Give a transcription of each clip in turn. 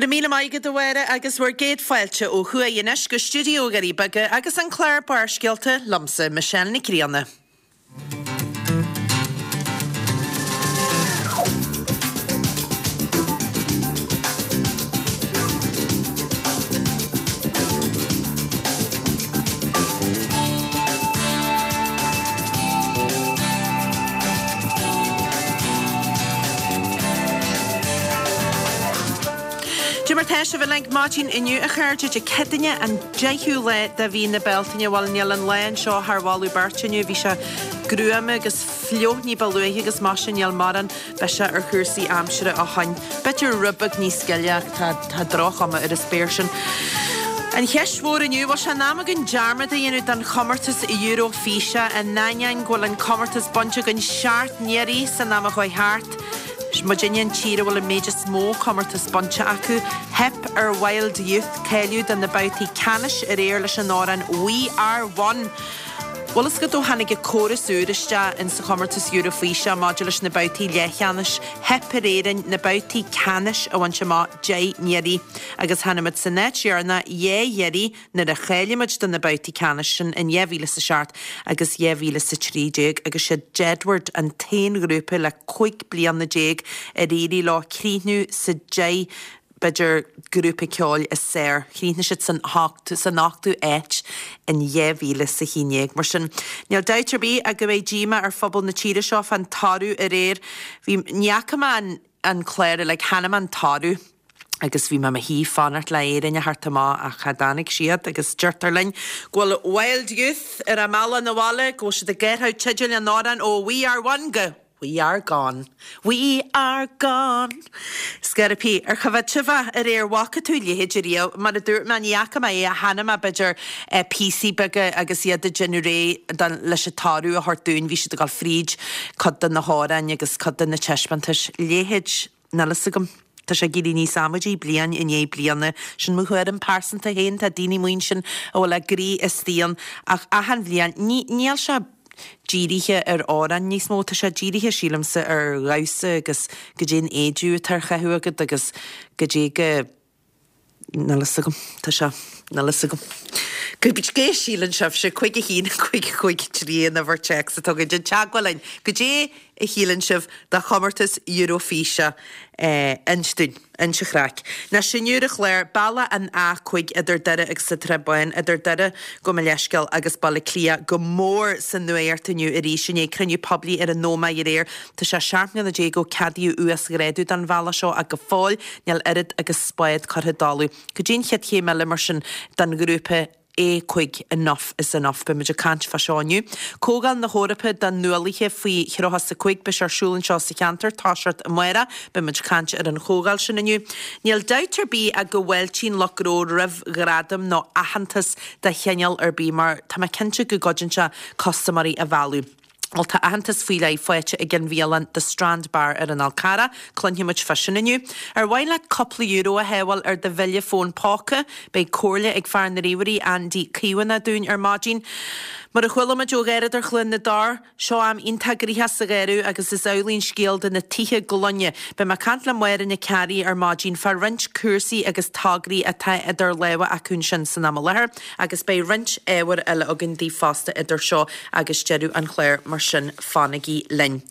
Go raibh míle maith agat a Mháire agus bhur gcéad fáilte ó thuaidh anois go stiúideo Dhoirí Beaga agus an clár Barrscéalta liomsa, Michelle Nic Grianna. Dé mar tá sibh uilig maidin inniu a chairde, Dé Céadaoine an 10ú lá de mhí na Bealtaine. Bhuel níl an lá anseo thar mholadh beirte inniu, bhí sé gruama agus fliuch ní ba luaithe agus mar sin níl mórán biseach ar chúrsaí aimsire ó shoin. B'fhéidir rud beag níos gile ach tá tá droch-chuma ar an spéir sin. An cheist mhór inniu, bhfuil sé in am againn dearmad a dhéanamh den chomórtas Eurofíse in ainneoin go bhfuil an comórtas bainte againn seacht n-iarraidh san am a chuaigh thart? Muidinne an tír a bhfuil an méid is mó comórtas bainte acu. Theip ar Wild Youth cáiliú do na babhtaí ceannais aréir leis an amhrán We Are One. Bhfuil fhios agat ó tháinig an córas úr isteach in sa chomórtas Eurofíse maidir leis na babhtaí leathcheannais, theip ar Éirinn na babhtaí ceannais a bhaint amach 10 n-iarraidh agus tháinig muid san áit dheireanach dhá iarraidh nuair a cháiligh muid do na babhtaí ceannais sin in 2007 agus 2013 agus siad Jedward an t-aon ghrúpa le 15 bliana ar éirigh leo críochnú sa 10 b'fhéidir, grúpa ceoil is fearr. Chríochnaigh siad san san ochtú áit in 2011. Mar sin, níl dabht ar bith ach go mbeidh díomá ar phobal na tíre seo fán toradh aréir. Bhí, ní fhaca mé an an clár uilig, chonaic mé an toradh agus bhí mé i mo shuí fanacht le Éirinn a theacht amach ach cha dtáinig siad agus deirtear linn go bhfuil Wild Youth ar a mbealach 'na bhaile, go bhfuil siad ag athrú teideal an amhráin ó We Are One go. We are gone. We are gone. Scairbí, ar choimhéad sibh é aréir? Bhfaca tú a leithéid ariamh? Mar a dúirt mé, ní fhaca mé é ach chonaic mé b'fhéidir píosaí beaga agus iad ag déanamh réidh don, leis an toradh a thabhairt dúinn. Bhí siad ag dul fríd cuid de na hamhráin agus cuid de na taispeántais. Leithéid, níl fhios agam. Tá sé ag éirí níos amaidí bliain i ndiaidh bliana. Sin mo thuairim pearsanta féin, tá daoine amuigh ansin a bhfuil a gcroí istigh ann ach achan bhliain, ní, níl sé dírithe ar amhráin níos mó, tá sé dírithe sílimse ar dhamhsa agus goidé an éadaí atá ar chaitheamh agat agus goidé go, níl fhios agam, tá sé, níl fhios agam. Goidé a síleann sibhse, 5 1 5 5 3 an uimhir téacs atá againn, déan teagmháil linn, goidé a shíleann sibh de chomórtas Eurofíse? Inis dúinn. Inis an chraic. Anois inniu ar an chlár, bealach an A5 idir Doire agus an tSrath Bán, idir Doire, gabh mo leithscéal, agus Baile Átha Cliath go mór sa nuacht inniu arís i ndiaidh cruinniú poiblí ar an Ómaigh aréir. Tá sé 17 mbliana ó ceadaíodh uasghrádú don bhealach seo ach go fóill níl oiread agus spád curtha i dtalamh. Cad é an chéad chéim eile mar sin don ghrúpa A5 Enough is Enough. Beidh muid ag caint fá seo inniu. Comhdháil na hEorpa do Nuálaithe faoi thríocha is a 5, beidh sé ar siúl anseo sa cheantar, toiseacht amárach. Beidh muid ag caint ar an chomhdháil sin inniu. Níl dabht ar bith ach go bhfáiltíonn lucht gnó roimh ghradam nó aitheantas de chineál ar bith mar tá mé cinnte go gcuidíonn sé custaiméirí a mhealladh. Bhuel, tá aitheantas faoi leith faighte ag an bhialann The Strand Bar ar an Fhál Carrach. Cluinfidh muid fá sin inniu. Ar mhaith leat cúpla euro a shábháil ar do bhille fón póca? Beidh comhairle ag fear na ríomhairí, Andy Caomhánach, dúinn ar maidin. Mar a chuala muid ó Gharradóir Chluain na dTor, seo am iontach gnoitheach sa gharradh agus is amhlaidh an scéal do na tithe gloine. Beidh mé ag caint le Máire Nic Fhearraigh ar maidin fá roinnt cúrsaí agus tograí atá idir lámha acu ansin san am i láthair. Agus beidh roinnt ábhair eile againn daoibh fosta idir seo agus deireadh an chláir, mar sin fanaigí linn.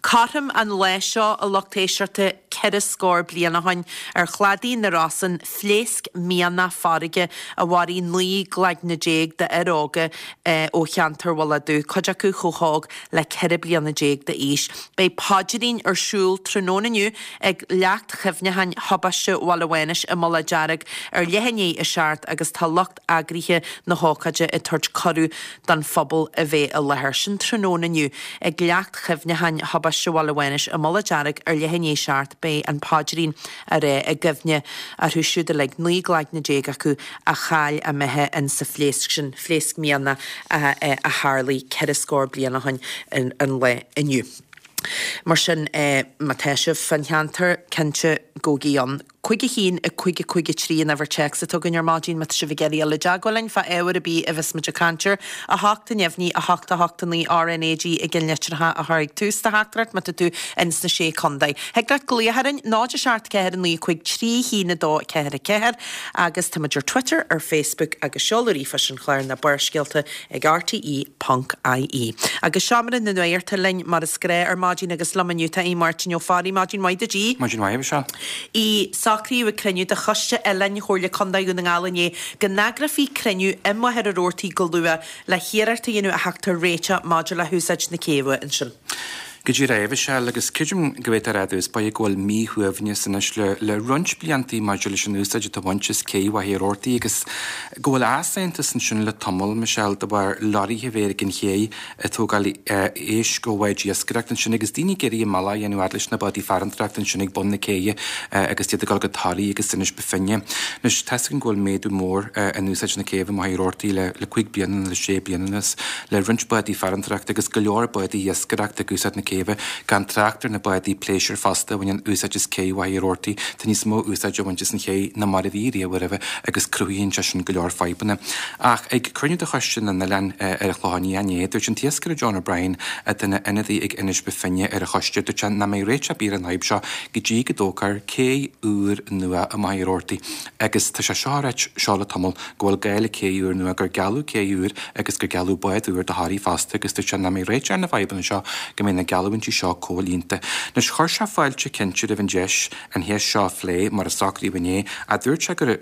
Cothrom an lae seo, a lucht éisteachta, ceithre scór bliain ó shoin, ar chladaí na Rosann, phléasc mianach farraige a mharaigh 19 gcloigne d'fhir óga ó cheantar Mhullach Dubh, cuid acu chomh hóg le 14 bliana d'aois. Beidh paidrín ar siúl tráthnóna inniu ag Leacht Chuimhneacháin Thubaiste Bhaile Mhánais i Mullach Dearg ar leath i ndiaidh a seacht agus tá lucht eagraithe na hócáide ag tabhairt cuireadh don phobal a bheith i láthair. Sin tráthnóna inniu ag Leacht Chuimhneacháin Thubaiste Bhaile Mhánais i Mullach Dearg ar leath i ndiaidh a seacht. Beidh an paidrín á rá i gcuimhne orthu siúd uilig, 19 gcloigne acu, a chaill a mbeatha in sa phléasc sin, phléasc mianach a tharlaigh ceithre scór bliain ó shin an lá inniu. Mar sin, má tá sibh fán cheantar, cinnte, gabhaigí ann. 5 1 5 5 3 an uimhir téacs atá againn ar maidin má tá sibh ag iarraidh dul i dteagmháil linn fá ábhar ar bith a bheas muid ag caint air. 8 neamhní 8 8 9 RnaG i gceannlitreacha a chur ag tús do theachtaireacht má tá tú ins na Sé Contae. Thig leat glaoch orainn 0 7 4 9 5 3 1 2 4 4 agus tá muid ar Twitter, ar Facebook agus seoladh ríomhphoist an chláir ná Barrscéalta ag rte ponc ie. Agus Seomra na Nuachta linn mar is gnáth ar maidin agus liom inniu tá Aodh Máirtín Ó Fearraigh. Maidin mhaith duit Aodh. Maidin mhaith, a Mhichelle. Aodh, Socraíodh ag cruinniú de Choiste Oileáin Chomhairle Contae Dhún na nGall inné go n-eagrófaí cruinniú i Machaire Rabhartaigh go luath le hiarracht a dhéanamh a theacht ar réiteach maidir le húsáid na céibhe ansin. Go díreach a Mhichelle, agus creidim go bhféadfá a rá i dtús báire go bhfuil míshuaimhneas anois le le roinnt bliantaí maidir leis an úsáid atá á baint as cé Mhachaire Rabhartaigh agus go bhfuil easaontas ansin le tamall, Michelle, de bharr leoraithe a bheith ag an ché ag tógáil éisc ó bháid iascaireachta ansin agus daoine ag iarraidh a mbealach a dhéanamh fhad leis na bádaí farantóireachta ansin ag bun na céidhe agus iad ag dul go Toraigh agus Inis Bó Finne. Anois, tá's againn go bhfuil méadú mór in úsáid na céibhe i Machaire Rabhartaigh le le cúig bliana nó le sé bliana anuas. le roinnt bádaí farantóireachta agus go leor bádaí iascaireachta ag úsáid na céibhe, gan trácht ar na bádaí pléisiúir fosta a bhaineann úsáid as cé Mhachaire Rabhartaigh. Tá níos mó úsáide á bhaint as an ché ná mar a bhí riamh roimhe agus cruthaíonn sé sin go leor fadhbanna. Ach ag cruinniú de Choiste na nOileán ar an Chlochán Liath inné, dúirt an t-iascaire John O'Brien, atá ina ionadaí ag Inis Bó Finne ar an choiste, dúirt sé nach mbeidh réiteach ar bith ar an fhadhb seo go dtí go dtógfar cé úr nua i Machaire Rabhartaigh agus tá sé seo á ráit seo le tamall go bhfuil gá le cé úr nua, gur gealladh cé úr agus gur gealladh bád úr do Thoraigh fosta agus dúirt sé nach mbeidh réiteach ar na fadhbanna seo go mbeidh na geallúintí seo comhlíonta. Anois chuir sé fáilte cinnte roimh an deis an cheist seo a phlé mar a socraíodh inné ach dúirt sé gur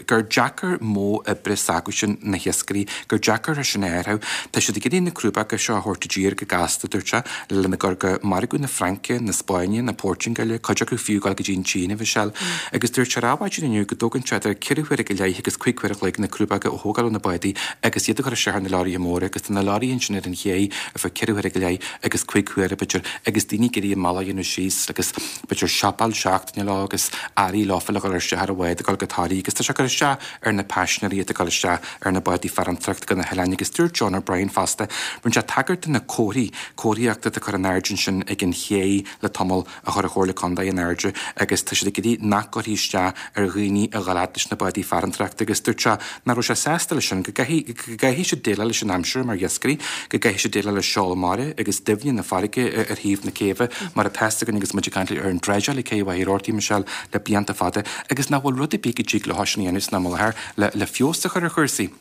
gur deacair modh oibre s'acusan, na hiascairí, gur deacair é sin a athrú. Tá siad ag iarraidh na crúbacha seo a thabhairt i dtír go gasta, dúirt sé, lena gcur go margadh na Fraince, na Spáinne, na Portaingéile, cuid acu fiú ag dul go dtí an tSín, a Mhichelle. Agus dúirt sé ar adhmhaidin inniu go dtógann sé idir ceithre huaire go leith agus cúig huaire a chloig na crúbacha a thógáil ó na bádaí agus iad a chur isteach ar na leoraithe móra agus tá na leoraithe ansin ar an ché ar feadh ceithre huaire go leith agus cúig huaire b'fhéidir agus daoine ag iarraidh a mbealach a dhéanamh síos agus b'fhéidir siopail seachtaine leo agus earraí leofa le dhul isteach ar an bhád ag dul go Toraigh agus tá sé ag cur isteach ar na paisinéirí atá ag dul isteach ar na bádaí farantóireachta go na hoileáin agus dúirt John O'Brien fosta, rinne sé tagairt do na comharthaí comharthaíochta atá curtha in airde ansin ag an ché le tamall a chuir an Chomhairle Contae in airde agus tá siad ag iarraidh nach gcuirfí isteach ar dhaoine a dhul fhad leis na bádaí farantóireachta agus dúirt sé nach raibh sé sásta leis sin, go gcaithfidh siad déileáil leis an aimsir mar iascairí, go gcaithfidh siad déileáil le seol mara agus doimhne na farraige ar thaobh na céibhe mar atá fhios againn agus muid ag caint ar an dreideáil ag Cé Mhachaire Rabhartaigh, Michelle, le blianta fada agus nach bhfuil rud ar bith go dtig leo sin a dhéanamh san am i láthair le feabhas a chur ar chúrsaí.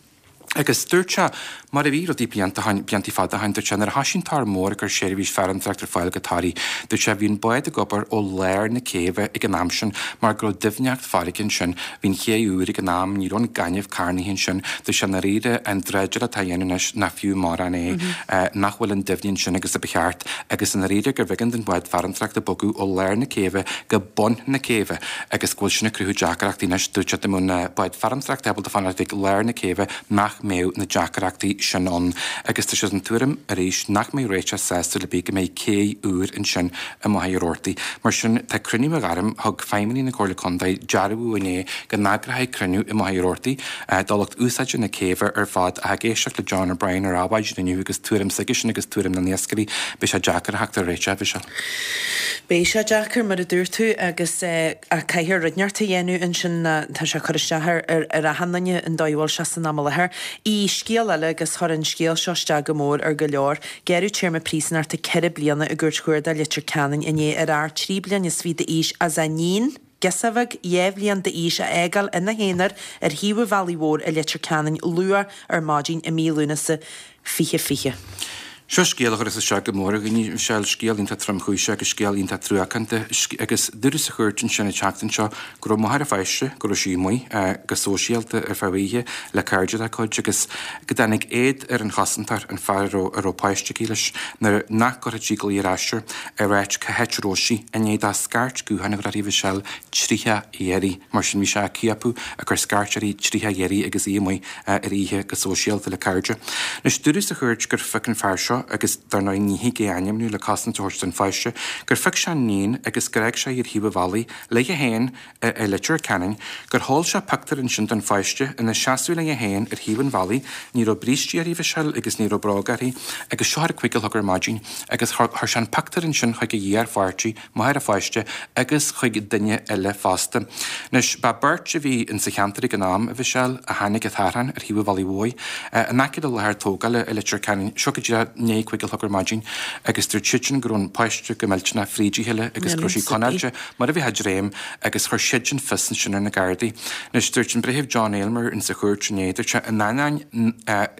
Agus dúirt sé, mar a bhí rudaí blianta ó shin, bliantaí fada ó shin, dúirt sé, nuair a thoisigh an Tor Mór ag cur seirbhís farantóireachta ar fáil go Toraigh, dúirt sé, bhí an bád ag obair ó lár na céibhe ag an am sin mar go raibh doimhneacht farraige ansin, bhí an ché úr ag an am, ní raibh an gaineamh carnaithe ansin, dúirt sé, i ndáiríre, an dreideáil atá á dhéanamh anois nach fiú mórán é, nach bhfuil an doimhne ansin agus a ba cheart, agus i ndáiríre gurbh éigean don bhád farantóireachta bogadh ó lár na céibhe go bun na céibhe. agus go bhfuil sin ag cruthú deacrachtaí anois. Dúirt sé dá mbeadh na báid farantóireachta ábalta fanacht ag lár na céibhe nach mbeadh na deacrachtaí sin ann. Agus tá sé den tuairim arís nach mbeidh réiteach sásúil ar bith go mbeidh cé úr ansin i Machaire Rabhartaigh. Mar sin, tá cruinniú á ghairm, thug feidhmeannaigh na Comhairle Contae dearbhú inné go n-eagrófaí cruinniú i Machaire Rabhartaigh do lucht úsáide na céibhe ar fad ach ag éisteacht le John O'Brien ar adhmhaidin inniu agus tuairim s'aigesean agus tuairim na n-iascairí, beidh sé deacair a theacht ar réiteach, Mhichelle. Beidh sé deacair, mar a dúirt tú, agus ach caithfear rud inteacht a dhéanamh ansin, tá sé ag cur isteach ar ar achan duine an dóigh a bhfuil sé san am i láthair. I scéal eile, agus chuir an scéal seo isteach go mór ar go leor, gearradh téarma príosúnachta 4 bliana i gCúirt Chuarda Leitir Ceanainn inné ar fhear 23 bliain is fiche d'aois as a iníon, girseach bheag 2 bhliain d'aois a fhágáil ina haonar ar thaobh an bhealaigh mhóir i Leitir Ceanainn luath ar maidin i mí Lúnasa 2020. Seo scéal a chuireas isteach go mór ar dhaoine, Michelle, scéal iontach tromchúiseach agus scéal iontach truacánta. Agus dúradh sa chúirt ansin an tseachtain seo go raibh máthair an pháiste, go raibh sí amuigh go sóisialta ar feadh oíche le cairde dá cuid agus go dtáinig éad ar an chosantóir, an fear a raibh a raibh páiste aici leis, nuair nach gcuirfeadh sí glao ar ais air, ag ráit cá háit a raibh sí, i ndiaidh dó scairt gutháin a chur uirthi, Michelle, 30 iarraidh. Mar sin bhí sé á ciapadh, ag cur scairt uirthi 30 iarraidh agus í amuigh. ar oíche go sóisialta le cairde. Anois, dúradh sa chúirt gur phioc an fear seo. seo, agus dar ndóigh ní thig é a ainmniú le cosaint a thabhairt don pháiste, gur phioc sé an níon agus gur fhág sé í ar thaobh an bhealaigh léi féin i Leitir Ceanainn, gur sheol sé pictiúr ansin den pháiste ina seasamh léi féin ar thaobh an bhealaigh, ní raibh brístí uirthi, a Mhichelle, agus ní raibh bróga uirthi, agus seo ar a 5 a chlog ar maidin, agus chuir sé an pictiúr ansin chuig a iarpháirtí, máthair an pháiste, agus chuig duine eile fosta. Anois, ba beirt a bhí insa cheantar ag an am, a Mhichelle, a chonaic an t-árthán ar thaobh an bhealaigh mhóir, in aice le láthair tógála i Leitir Ceanainn, seo go díreach i ndiaidh 5 a chlog ar maidin, agus dúirt siadsan go raibh an páiste go millteanach fríd a chéile agus go raibh sí conáilte mar a bheadh ag dréim agus chuir siadsan fios ansin ar na Gardaí. Anois, dúirt an Breitheamh John Aylmer insa chúirt inné, dúirt sé, in ainneoin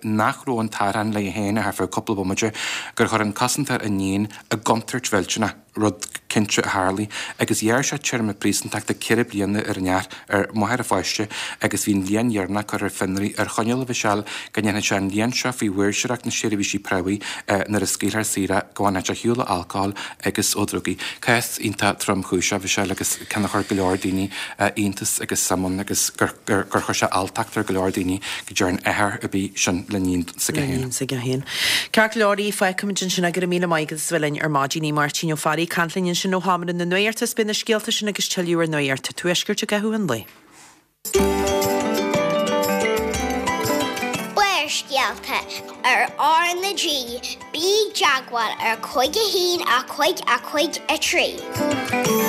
nach raibh an t-árthán léi féin ach ar feadh cúpla bomaite, gur chuir an cosantóir a níon i gcontúirt mhillteanach, rud cinnte a tharlaigh, agus ghearr sé téarma príosúntachta 4 bliana ar an fhear, ar mháthair an pháiste, agus bhí an bhliain dheireanach curtha ar fionraí ar choinníoll, a Mhichelle, go ndéanfadh sé an bhliain seo faoi mhaoirseoireacht na seirbhísí promhaidh nuair a scaoilfear saor é, go bhfanfadh sé ar shiúl ó alcól agus ó dhrugaí. Cás iontach tromchúiseach, a Mhichelle, agus ceann a chuir go leor daoine iontas agus suim ann agus gur chuir sé alltacht ar go leor daoine go ndearna athair ar bith sin le níon s'aige féin. Le níon s'aige féin. Ceart go leor, fágfaimid ansin é, go raibh míle maith agat as a bheith linn ar maidin. Máirtín Ó Fearraigh ag caint linn ansin ó Sheomra na Nuachta is beidh na scéalta sin agus tuilleadh ar Nuacht an Tuaiscirt i gcaitheamh an lae. Barrscéalta ar R na G, bí i dteagmháil ar 5 1 5 5 3.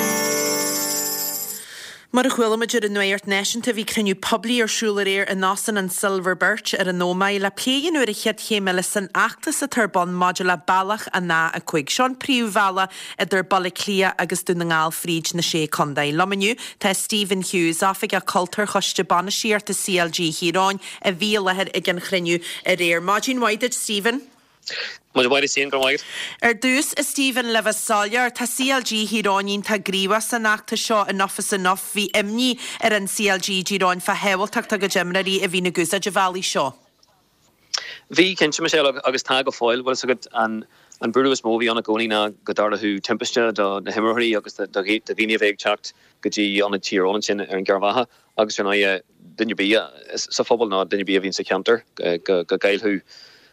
Mar a chuala muid ar an Nuacht Náisiúnta, bhí cruinniú poiblí ar siúl aréir in Óstán an Silver Birch ar an Ómaigh le plé a dhéanamh ar an chéad chéim eile san fheachtas atá ar bun maidir le bealach an A5. Seo an príomhbhealach idir Baile Átha Cliath agus Dún na nGall fríd na Sé Contae. Liom inniu tá Stephen Hughes, Oifigeach Cultúir Choiste Bainistíochta CLG Thír Eoghain, a bhí i láthair ag an chruinniú aréir. Maidin mhaith duit, Stephen. Maidin mhaith duit féin, go raibh maith agat. Ar dtús, a Stephen, le bheith soiléir, tá CLG Thír Eoghain iontach gníomhach san fheachtas seo Enough is Enough. Bhí imní ar an CLG i dTír Eoghain fá shábháilteacht a gcuid imreoirí a bhíonn ag úsáid an bhealaigh seo. Bhí, cinnte, Michelle, agus tá go fóill. Bhfuil fhios agat, an an buaireamh is mó a bhí ann i gcónaí ná go dtarlódh timpiste do na himreoirí agus do dhaoine a bheadh ag teacht go dtí ionad Tír Eoghain ansin ar an gCeathrú Mhacha agus ar ndóigh duine ar bith sa phobal nó duine ar bith a bhíonn sa cheantar go gcaillfeadh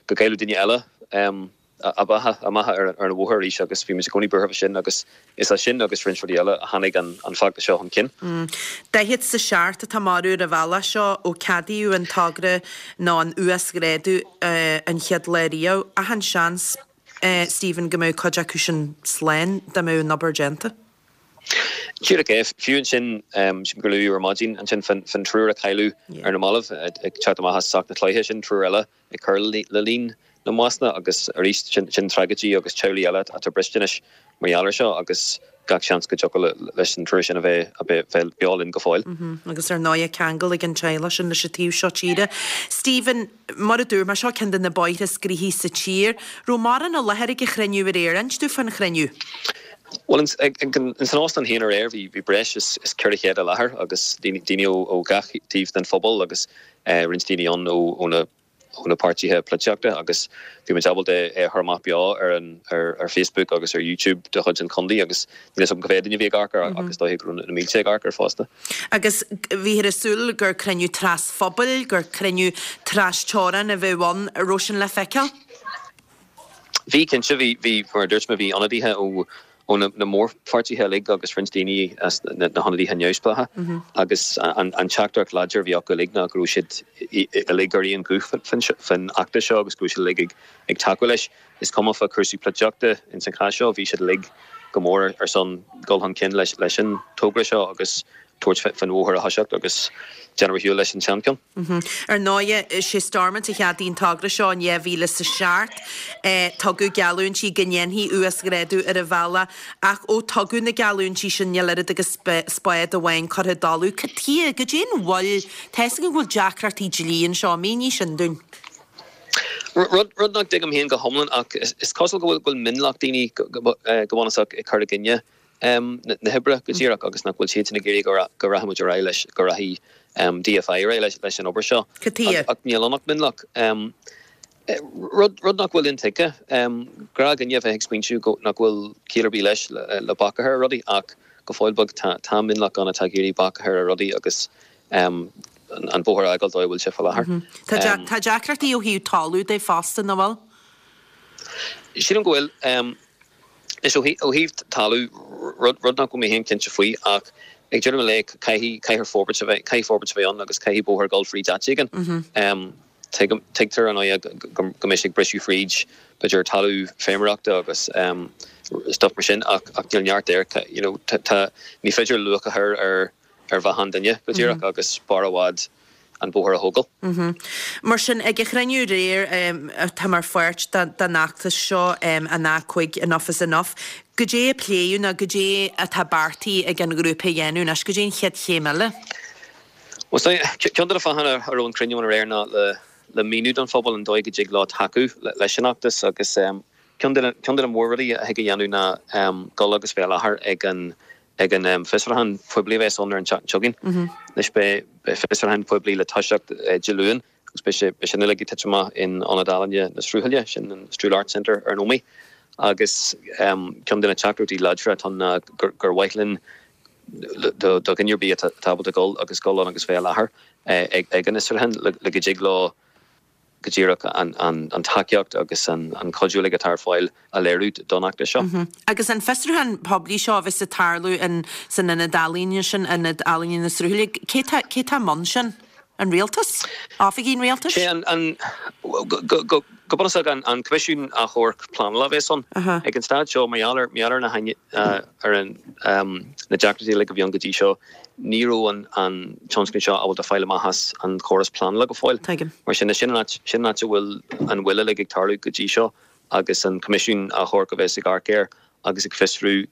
go gcaillfeadh duine eile a mbeatha a mbeatha ar an bhóthar arís agus bhí muid i gcónaí buartha fá sin agus is as sin agus roinnt rudaí eile a tháinig an feachtas seo chun cinn. 47 atá marbh ar an bhealach seo ó ceadaíodh an togra nó an uasghrádú an chéad lá riamh. Achan seans, Stephen, go mbeadh cuid acu sin slán dá mbeadh an obair déanta. Díreach é. Fiú ansin, sílim gur luadh ar maidin ansin fán triúr a cailleadh ar na mallaibh ag teacht amach as Soc na Cloiche, sin triúr eile ag cur le líon na mbásanna agus arís sin tragóidí agus teaghlaigh eile atá briste anois mar gheall air seo agus gach seans go dtiocfadh leis an triúr sin a bheith beo linn go fóill. Agus ar ndóigh ceangal ag an teaghlach sin leis an taobh seo tíre. Stephen, mar a dúirt mé, seo ceann de na bóithre is gnoithí sa tír. Raibh mórán i láthair ag an chruinniú aréir. Inis dúinn fán chruinniú. Bhuel, ins an óstán féin aréir bhí breis is 400 i láthair agus daoine ó gach taobh den phobal agus roinnt daoine ann ó na ó na páirtithe polaitíochta agus bhí muid ábalta é a chur amach beo ar an ar Facebook agus ar YouTube de chuid an chontae agus níl a fhios agam cá mhéad duine a bhí ag amharc air ach is dóiche go raibh na mílte ag amharc air fosta. Agus bhíthear ag súil gur cruinniú trasphobail, gur cruinniú trasteorann a bheadh ann, an raibh sin le feiceáil? Bhí, cinnte. Bhí, bhí, mar a dúirt mé, bhí ionadaithe ó ó na mórpháirtithe uilig agus roinnt daoine as na hionadaithe neamhspleácha agus an teachtaireacht láidir a bhí acu uilig ná go raibh siad uilig ar aon ghuth faoin fheachtas seo agus go raibh siad uilig ag tacú leis. Is cuma fá chúrsaí polaitíochta ins an chás seo, bhí siad uilig go mór ar son dul chun cinn leis an togra seo agus tabhairt faoin bhóthar a thoiseacht agus déanamh ar shiúl leis an seancheann. Ar ndóighe, is é Stormont a cheadaigh an togra seo in 2007. Tugadh geallúintí go ndéanfaí uasghrádú ar an bhealach ach ó tugadh na geallúintí sin níl oiread agus spád amháin curtha i dtalamh. Cad chuige? Goidé an mhoill? Tá fhios agam go bhfuil deacrachtaí dlí anseo. Mínigh sin dúinn. Rud nach dtuigim féin go hiomlán ach is cosúil go bhfuil mionlach daoine go bunúsach ag cur i gcoinne na hoibre go díreach agus nach bhfuil siadsan ag iarraidh go rachaidh muid ar aghaidh leis, go rachaidh DFI ar aghaidh leis an obair seo. Cad chuige? Ach níl ann ach mionlach. Rud nach bhfuil intuigthe. Gnáthdhuine a bheith ag smaointiú nach bhfuil ciall ar bith leis le bac a chur ar rudaí ach go fóill beag tá mionlach ann atá ag iarraidh bac a chur ar rudaí agus an bóthar a fhágáil dóigh a bhfuil sé faoi láthair. Tá deacrachtaí ó thaobh talamh de fosta, nach bhfuil? Sílim go bhfuil. Anois, ó thaobh talamh, rud nach bhfuil mé féin cinnte faoi, ach ag deireadh an lae, caithfidh, caithfear forbairt a bheith, caithfidh forbairt a bheith ann agus caithfidh bóthar dul fríd áit éigin. Tuigim, tuigtear ar ndóigh go mbeidh sé ag briseadh fríd, b'fhéidir, talamh feirmeoireachta agus stuff mar sin ach níl neart air, you know, tá, ní féidir luach a chur ar ar bheatha an duine go díreach agus b'fhearr i bhfad an bóthar a thógáil. Mar sin, ag an chruinniú aréir, atá mar pháirt den fheachtas seo, an A5 Enough is Enough, goidé a pléadh nó goidé atá beartaithe ag an ghrúpa a dhéanamh anois? Goidé an chéad chéim eile? Bhuel, ceann de na fáthanna a raibh an cruinniú ann aréir ná le míniú don phobal an dóigh go dtig leo tacú leis an fheachtas agus ceann de na mór-rudaí a thig a dhéanamh ná dul agus bheith i láthair ag an ag an bhfiosrúchán poiblí a bheas ann ar an tseachtain seo chugainn. Anois beidh fiosrúchán poiblí le toiseacht Dé Luain agus beidh sé beidh sin uilig ag titim amach in Ionad Ealaíne na Sruthaile, sin an Strule Arts Centre ar an Ómaigh. Agus ceann de na teachtaireachtaí láidre atá ann ná gur mhaith linn do dhuine ar bith atá ábalta dul agus dul ann agus bheith i láthair ag an fhiosrúchán le go dtig leo go díreach an tacaíocht agus an cuidiú uilig atá ar fáil a léiriú don fheachtas seo. Agus an fiosrúchán poiblí seo a bheas ag tarlú in san ionad ealaíne sin, Ionad Ealaíne na Sruthaile, cé tá cé tá i mbun sin? An Rialtas? Oifigí an Rialtais? Sé an, an, go, go, go bunúsach an, an Coimisiún Achomhairc Pleanála a bheas ann. Ag an staid seo, mar gheall ar, mar gheall ar na, ar an, na deacrachtaí uilig a bhí ann go dtí seo, Ní raibh an tionscnamh seo ábalta fáil amach as an chóras pleanála go fóill. Tuigim. Mar sin, sin an áit, sin an áit a bhfuil an mhoill uilig ag tarlú go dtí seo agus an Coimisiún Achomhairc a bheas ag amharc air agus ag fiosrú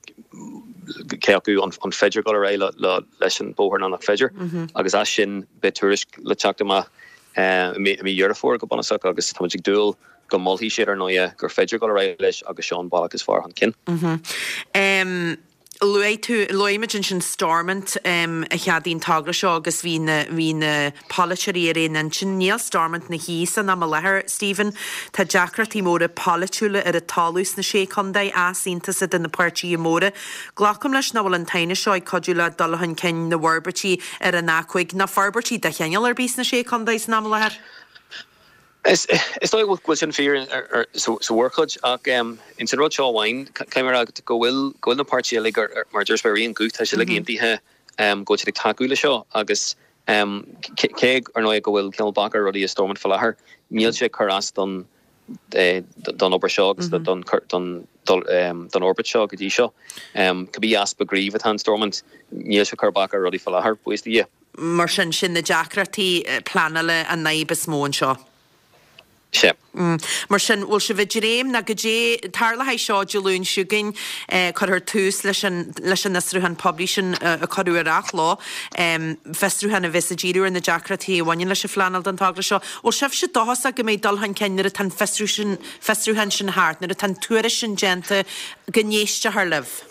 cé acu an féidir dul ar aghaidh le leis an bóthar nó nach féidir. Agus as sin beidh tuairisc le teacht amach i mí Dheireadh Fómhair go bunúsach agus táimid ag dúil go molfaidh siad ar ndóighe gur féidir dul ar aghaidh leis agus seo an bealach is fearr chun cinn. Luaigh tú, luaigh muid ansin Stormont a cheadaigh an togra seo agus bhí na, bhí na polaiteoirí ar aon intinn. Níl Stormont ina shuí san am i láthair, Stephen. Tá deacrachtaí móra polaitiúla ar an talamh sna Sé Chontae, easaontas idir na páirtithe móra. Glacaim leis nach bhfuil an t-aighneas seo ag cuidiú le dul chun cinn na bhforbairtí ar an A5 ná forbairtí de chineál ar bith sna Sé Chontae san am i láthair. Is dóigh go bhfuil sin fíor sa mhórchuid, ach ins an rud seo amháin, caithfidh mé a rá go bhfuil go bhfuil na páirtithe uilig, mar a dúirt mé, ar aon ghuth, tá siad uilig aontaithe go bhfuil siad ag tacú le seo agus cé, ar ndóigh, go bhfuil cineál bac ar rudaí i Stormont faoi láthair, níl sé ag cur as don don obair seo agus don don don fhorbairt seo go dtí seo. Cibé easpa gnímh atá in Stormont, níl sé ag cur bac ar rudaí faoi láthair, buíochas do Dhia. Mar sin, sin na deacrachtaí pleanála an fhadhb is mó anseo. Sea. Mar sin, bhfuil sibh ag dréim ná goidé, tarlóidh seo Dé Luain seo chugainn, cuirfear tús leis an leis an fhiosrúchán poiblí sin a cuireadh ar athló, fiosrúchán a bheas ag díriú ar na deacrachtaí a bhaineann leis an phleanáil don togra seo. Bhfuil sibhse dóchasach go mbeidh dul chun cinn nuair atá an fiosrúchán sin thart, nuair atá an tuairisc sin déanta, go n-éistfear libh?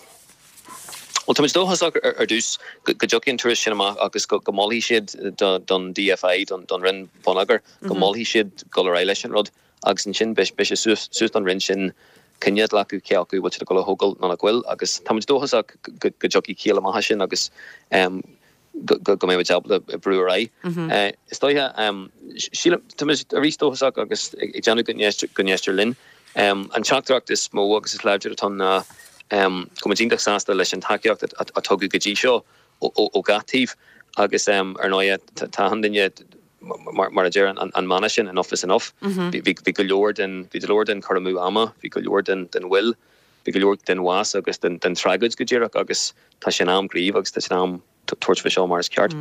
Bhuel, táimid dóchasach ar dtús go dtiocfaidh an tuairisc sin amach agus go molfaidh siad don DFI, don Roinn Bonneagair, go molfaidh siad dul ar aghaidh leis an rud agus ansin beidh sé suas don Roinn sin cinneadh a ghlacadh cé acu bhfuil siad ag dul a thógáil nó nach bhfuil agus táimid dóchasach go dtiocfaidh ciall amach as sin agus go mbeidh muid ábalta brú ar aghaidh. Is dóiche, sílim, tá muid arís dóchasach agus ag déanamh go n-éistear linn. An teachtaireacht is mó agus is láidre atá ann ná go bhfuil muid iontach sásta leis an tacaíocht a tugadh go dtí seo ó gach taobh agus ar ndóighe tá achan duine mar a deir an mana sin enough is enough. Bhí go leor den, bhí go leor den cur amú ama, bhí go leor den mhoill, Bhí go leor den bhás agus den tragóid go díreach agus tá sé in am gníomh agus tá sé in am tabhairt faoi seo mar is ceart.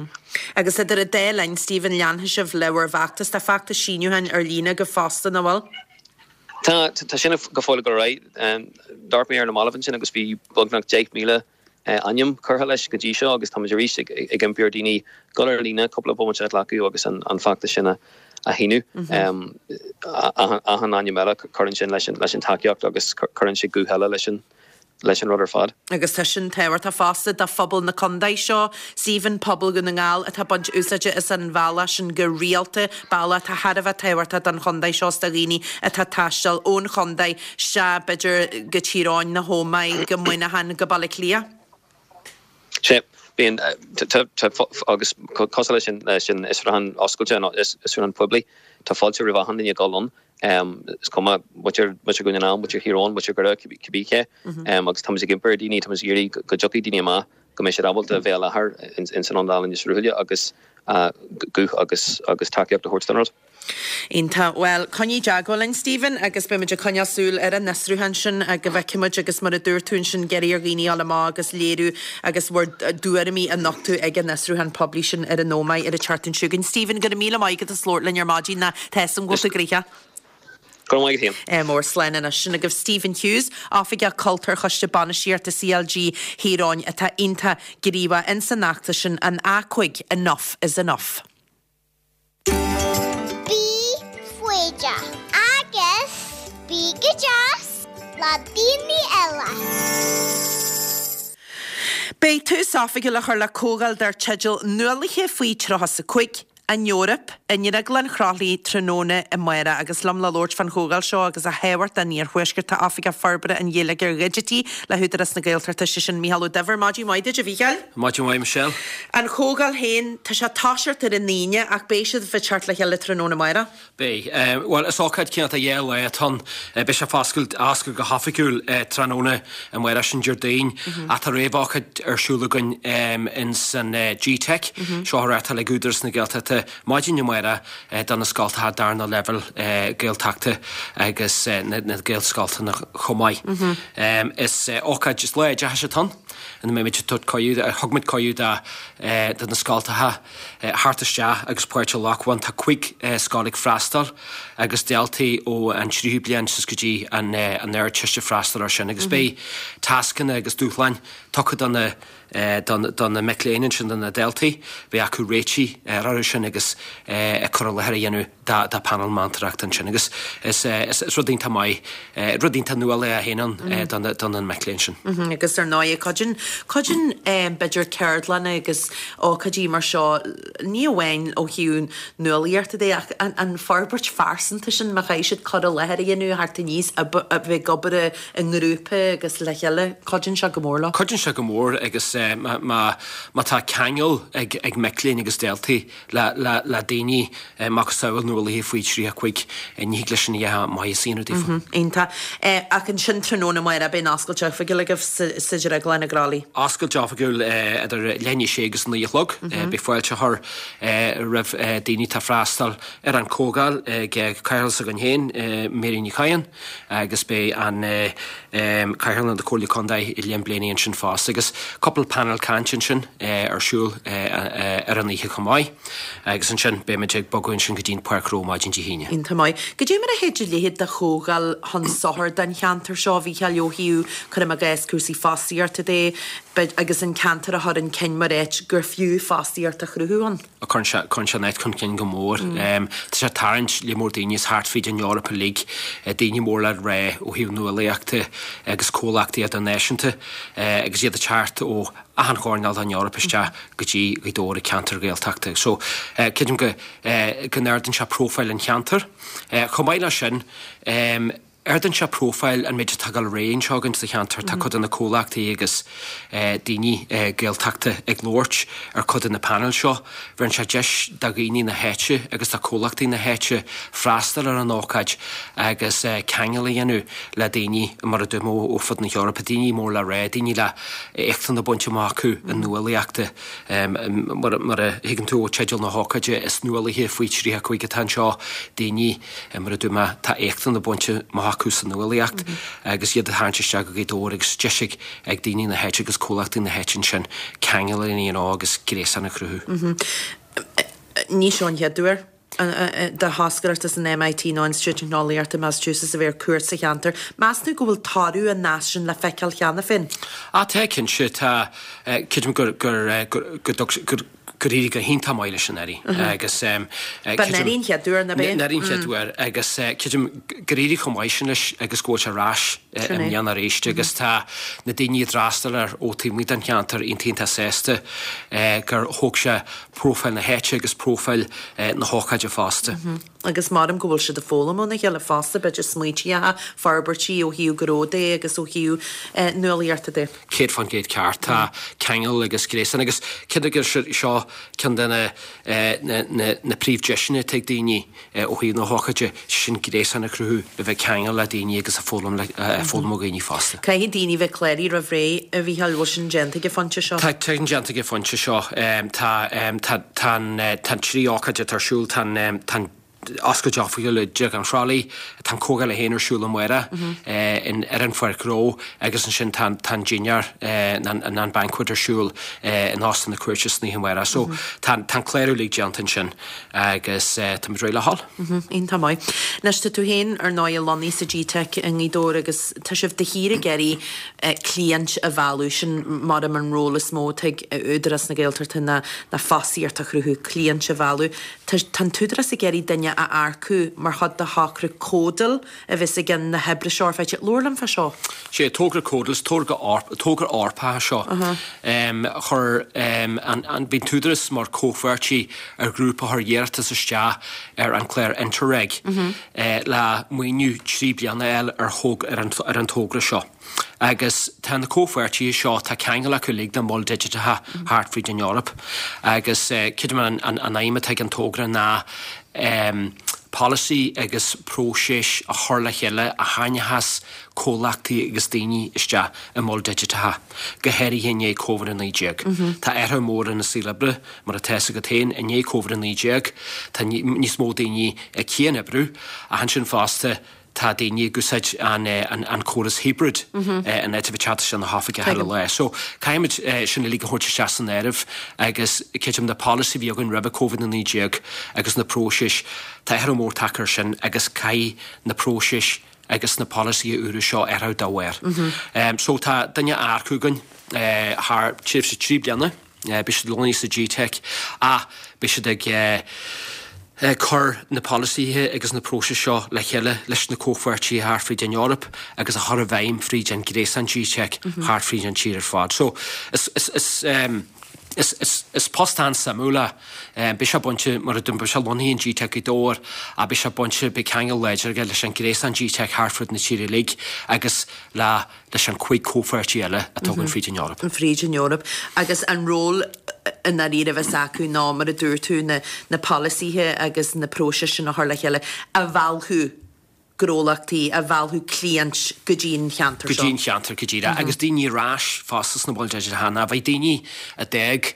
Agus idir an dá linn, Stephen, leanfaidh sibh le bhur bhfeachtas. Tá feachtas síniúcháin ar líne agaibh fosta, nach bhfuil? Tá, tá sin go fóill ag dul ar aghaidh. D'amharc mé ar na mallaibh ansin agus bhí beagnach 10,000 ainm curtha leis go dtí seo agus táimid arís ag impí ar dhaoine dul ar líne, cúpla bomaite a ghlacadh agus an feachtas sin a shíniú. Achan ainm eile, cuireann sin leis an tacaíocht agus cuireann sé guth eile leis an leis an rud ar fad. Agus tá sin tábhachtach fosta do phobal na contae seo, Stephen, pobal Dhún na nGall atá ag baint úsáide as an bhealach sin go rialta, bealach atá thar a bheith tábhachtach don chontae seo is do dhaoine atá ag taisteal ón chontae isteach, b'fhéidir, go Tír Eoghain, na hÓmaigh, go Muineachán, go Baile Átha Cliath. Sea, bíonn, tá, agus cosúil leis an, leis an fhiosrúchán oscailte, an fiosrúchán poiblí, tá fáilte roimh achan duine dul ann. Is cuma, muintir Dhún na nGall, muintir Thír Eoghain, muintir Dhoire, cibé cé. Agus táimid ag impí ar dhaoine, táimid ag iarraidh go dtiocfaidh daoine amach, go mbeidh siad ábalta a bheith i láthair ins an Ionad Ealaíne Sruthaile agus guth agus tacaíocht a thabhairt don rud. Iontach. Bhuel, coinnigh i dteagmháil linn, Stephen, agus beidh muid ag coinneáil súil ar an fhiosrúchán sin go bhfeicfidh muid agus mar a dúirt tú ansin, ag iarraidh ar dhaoine a dhul amach agus léiriú agus bhur dtuairimí a nochtadh ag an fhiosrúchán poiblí sin ar an Ómaigh ar an tseachtain seo chugainn. Stephen, go raibh míle maith agat as labhairt linn ar maidin, tá a fhios agam go bhfuil tú gnoitheach. Go raibh maith agat féin. Mór slán anois. Sin agaibh Stephen Hughes, Oifigeach Cultúir Choiste Bainistíochta CLG Thír Eoghain atá iontach gníomhach ins an fheachtas sin, an A5, Enough is Enough. Bí foighdeach agus bí go deas le daoine eile. Beidh tús oifigiúil á chur le comhdháil dar teideal 'Nuálaithe faoi 35, An Eoraip' i nDrioglann Chroithlí tráthnóna amárach agus liom le labhairt fán chomhdháil seo agus a thábhacht don Iarthuaisceart tá Oifigeach Forbartha an Gheilleagair Dhigitigh le hÚdarás na Gaeltachta, sé sin Mícheál Ó Duibhir. Maidin mhaith duit, a Mhícheáil. Maidin mhaith, Michelle. An chomhdháil féin, tá sé ag toiseacht ar an Aoine ach beidh sibh ag teacht le chéile tráthnóna amárach. Beidh. Bhuel, is ócáid cineál de dhá lá atá ann. Beidh sé foscailt, á oscailt go hoifigiúil tráthnóna amárach, sin Déardaoin, ach tá réamhócáid ar siúl againn ins an G-Teic, seo á reáchtáil ag Údarás na Gaeltachta, maidin amárach do na scoltacha darna leibhéal Gaeltachta agus na Gaelscoltacha chomh maith. Is ócáid, is lá oideachais atá ann ina mbeimid ag tabhairt cuireadh, thug muid cuireadh do na scoltacha, theacht isteach agus páirt a ghlacadh ann. Tá 5 scoil ag freastal agus daltaí ó an tríú bliain suas go dtí an Ardteist ag freastal air sin agus beidh tascanna agus dúshláin tugtha do na do na mic léinn ansin, do na daltaí. Beidh acu réitigh orthu sin agus cur i láthair a dhéanamh do phainéal meantóireachta ansin agus is is rud iontach maith, rud iontach nuálach é féin ann do na mic léinn sin. Agus ar ndóigh, cuidíonn, cuidíonn b'fhéidir ceardlanna agus ócáidí mar seo, ní amháin ó thaobh nuálaíochta de ach an forbairt phearsanta sin, má chaithfidh siad cur i láthair a dhéanamh, theacht aníos, a bheith ag obair i ngrúpa agus le chéile, cuidíonn sé go mór leo. Cuidíonn sé go mór agus má tá ceangal ag mic léinn agus daltaí le daoine macasamhail nuálaithe faoi 35, ní thig leis sin a dhéanamh maitheas a dhéanamh daofa. Iontach. Ach ansin tráthnóna amárach beidh an oscailt oifigiúil agaibh sa Drioglann i gCroithlí. Oscailt oifigiúil idir leath i ndiaidh a sé agus a naoi a chlog. Beidh fáilte á chur roimh daoine atá ag freastal ar an chomhdháil ag cathaoirleach s'againn féin, Mary Ní Chadhain, agus beidh an Cathaoirleach na Comhairle Contae, Liam Blaney ansin fosta agus cúpla painéal cainte ansin ar siúl ar an oíche chomh maith agus ansin beimid ag bogadh ansin go dtí an Páirc Ghnó maidin Dé hAoine. Iontach maith. Goidé mar a théid a leithéid de chomhdháil chun sochair don cheantar seo, a Mhícheáil, ó thaobh, cuirim i gcás, cúrsaí fostaíochta de, agus an ceantar a chur chun cinn mar áit gur fiú fostaíocht a chruthú ann? Cuireann sé, cuireann sé an áit chun cinn go mór. Tá sé ag tarraingt lear mór daoine as thart fríd an Eoraip uilig, daoine mór le rá ó thaobh nuálaíochta agus comhlachtaí idirnáisiúnta agus iad ag teacht ó achan choirnéal den Eoraip isteach go dtí Gaoth Dobhair, ceantar Gaeltachta. So, creidim go, go n-ardaíonn sé próifáil an cheantair. Chomh maith leis sin, Ardaíonn sé próifáil an méid atá ag dul ar aghaidh anseo againn sa cheantar. Tá cuid de na comhlachtaí agus daoine Gaeltachta ag labhairt ar cuid de na painéil seo. Bheireann sé deis do dhaoine na háite agus do chomhlachtaí na háite freastal ar an ócáid agus ceangal a dhéanamh le daoine, mar a dúirt mé, ó fud na hEorpa, daoine mór le rá, daoine le éachtanna bainte amach acu i nuálaíochta. Mar a thuigeann tú ó teideal na hócáide, is nuálaithe faoi 35 atá anseo, daoine, Mar a dúirt mé, tá éachtanna bainte amach acu sa nuálaíocht agus iad a tharraingt isteach go Gaoth Dobhair agus deis ag daoine na háite agus comhlachtaí na háite ansin ceangal a dhéanamh agus gréasán a chruthú. Ní seo an chéad uair do thoscaireacht as an MIT nó Institiúid Teicneolaíochta Massachusetts a bheith ar cuairt sa cheantar. Meas tú go bhfuil toradh an nasc sin le feiceáil cheana féin? Á, tá, cinnte. Tá, creidim gur, gur, gur, go dtug, gur, gur éirigh go hiontach maith leis anuraidh agus Ba anuraidh an chéad uair, ab ea? Anuraidh an chéad uair agus creidim gur éirigh chomh maith sin leis agus go bhfuil sé ar ais i mbliana arís agus tá na daoine a d'fhreastail air ó taobh amuigh den cheantar iontach iontach sásta gur thóg sé próifáil na háite agus próifáil na hócáide fosta. Agus maram go bhfuil siad ag foghlaim óna chéile fosta, b'fhéidir smaointíocha, forbairtí ó thaobh gnó de agus ó thaobh nuálaíochta de. 100% ceart. Tá ceangal agus gréasán agus cinnte gur seo ceann de na na príomhdheiseanna atá ag daoine ó thaobh na hócáide, sin gréasán a chruthú, a bheith ag ceangal le daoine agus ag foghlaim le ag foghlaim ó dhaoine fosta. Caithfidh daoine bheith cláraithe roimh ré, a Mhícheáil, bhfuil sin déanta ag an phointe seo? Tá sin déanta ag an phointe seo. Tá tá tá an tá an trí ócáid atá ar siúl, tá an tá an oscailt oifigiúil i dTigh an Chroithlí, tá an comhdháil féin ar siúl amárach in ar an Pháirc Ghnó agus ansin tá tá an dinnéar an an banquet ar siúl in Óstán na Cúirte san oíche amárach. So tá tá an clárú uilig déanta ansin agus táimid réidh le dhul. Iontach maith. Anois tá tú féin ar ndóigh lonnaithe sa GTeic i nGaoth Dobhair agus tá sibh de shíor ag iarraidh cliaint a mhealladh, sin maram an ról is mó atá ag Údarás na Gaeltachta ná fostaíocht a chruthú, cliaint a mhealladh. Tá an tÚdarás ag iarraidh duine a earcú mar chuid de thogra Codal a bheas i gceann na hoibre seo ar feadh. Labhair liom fá seo. Sé togra Codal, is togra Eorpach é seo. Chuir an, bhí an tÚdarás mar comhpháirtí ar ghrúpa a chuir iarratas isteach ar an clár Interreg le maoiniú 3 bliana a fháil ar an togra seo. Agus tá na comhpháirtithe seo, tá ceangal acu uilig le moil digiteacha thart fríd an Eoraip. Agus creidim an aidhm atá ag an togra ná polasaí agus próiseas a chur le chéile a tharraingeochas comhlachtaí agus daoine isteach i moil digiteacha, go háirithe i ndiaidh Covid-19. Tá athrú mór ina saol oibre, mar atá fhios agat féin, i ndiaidh Covid-19 tá níos mó daoine ag cian-oibriú ach ansin fosta tá daoine ag úsáid an córas hybrid in áit a bheith ag teacht isteach na hoifige chuile lá. So caithfimid sin uilig a thabhairt isteach san áireamh agus creidim na polasaí a bhí againn roimhe Covid-19 agus na próisis, tá athrú mór tagtha air sin agus caithfidh na próisis agus na polasaithe úra seo athrú dá bharr. So tá duine á earcú againn thar tréimhse 3 bliana. Beidh siad lonnaithe sa GTeic ach beidh siad ag cur na polasaithe agus na próisis seo le chéile leis na comhpháirtithe thart fríd an Eoraip agus a chur i bhfeidhm fríd an gréasán GTeic thart fríd an tír ar fad. So is is is is post an-suimiúil é. Beidh sé bainte, mar a dúirt, beidh sé lonnaithe in GTeic Ghaoth Dobhair ach beidh sé bainte, beidh ceangal láidir aige leis an gréasán GTeic thart fríd na tíre uilig agus le leis an 5 comhpháirtí eile atá againn fríd an Eoraip. fríd an Eoraip. Agus an ról i ndáiríre a bheas acu ná, mar a dúirt tú, na na polasaithe agus na próisis sin a chur le chéile a mheallfadh gnólachtaí, a mheallfadh cliaint go dtí an cheantar seo. Go dtí an cheantar, go díreach. Agus daoine ar ais fosta sna moil digiteacha. Ná bheidh daoine a d'fhág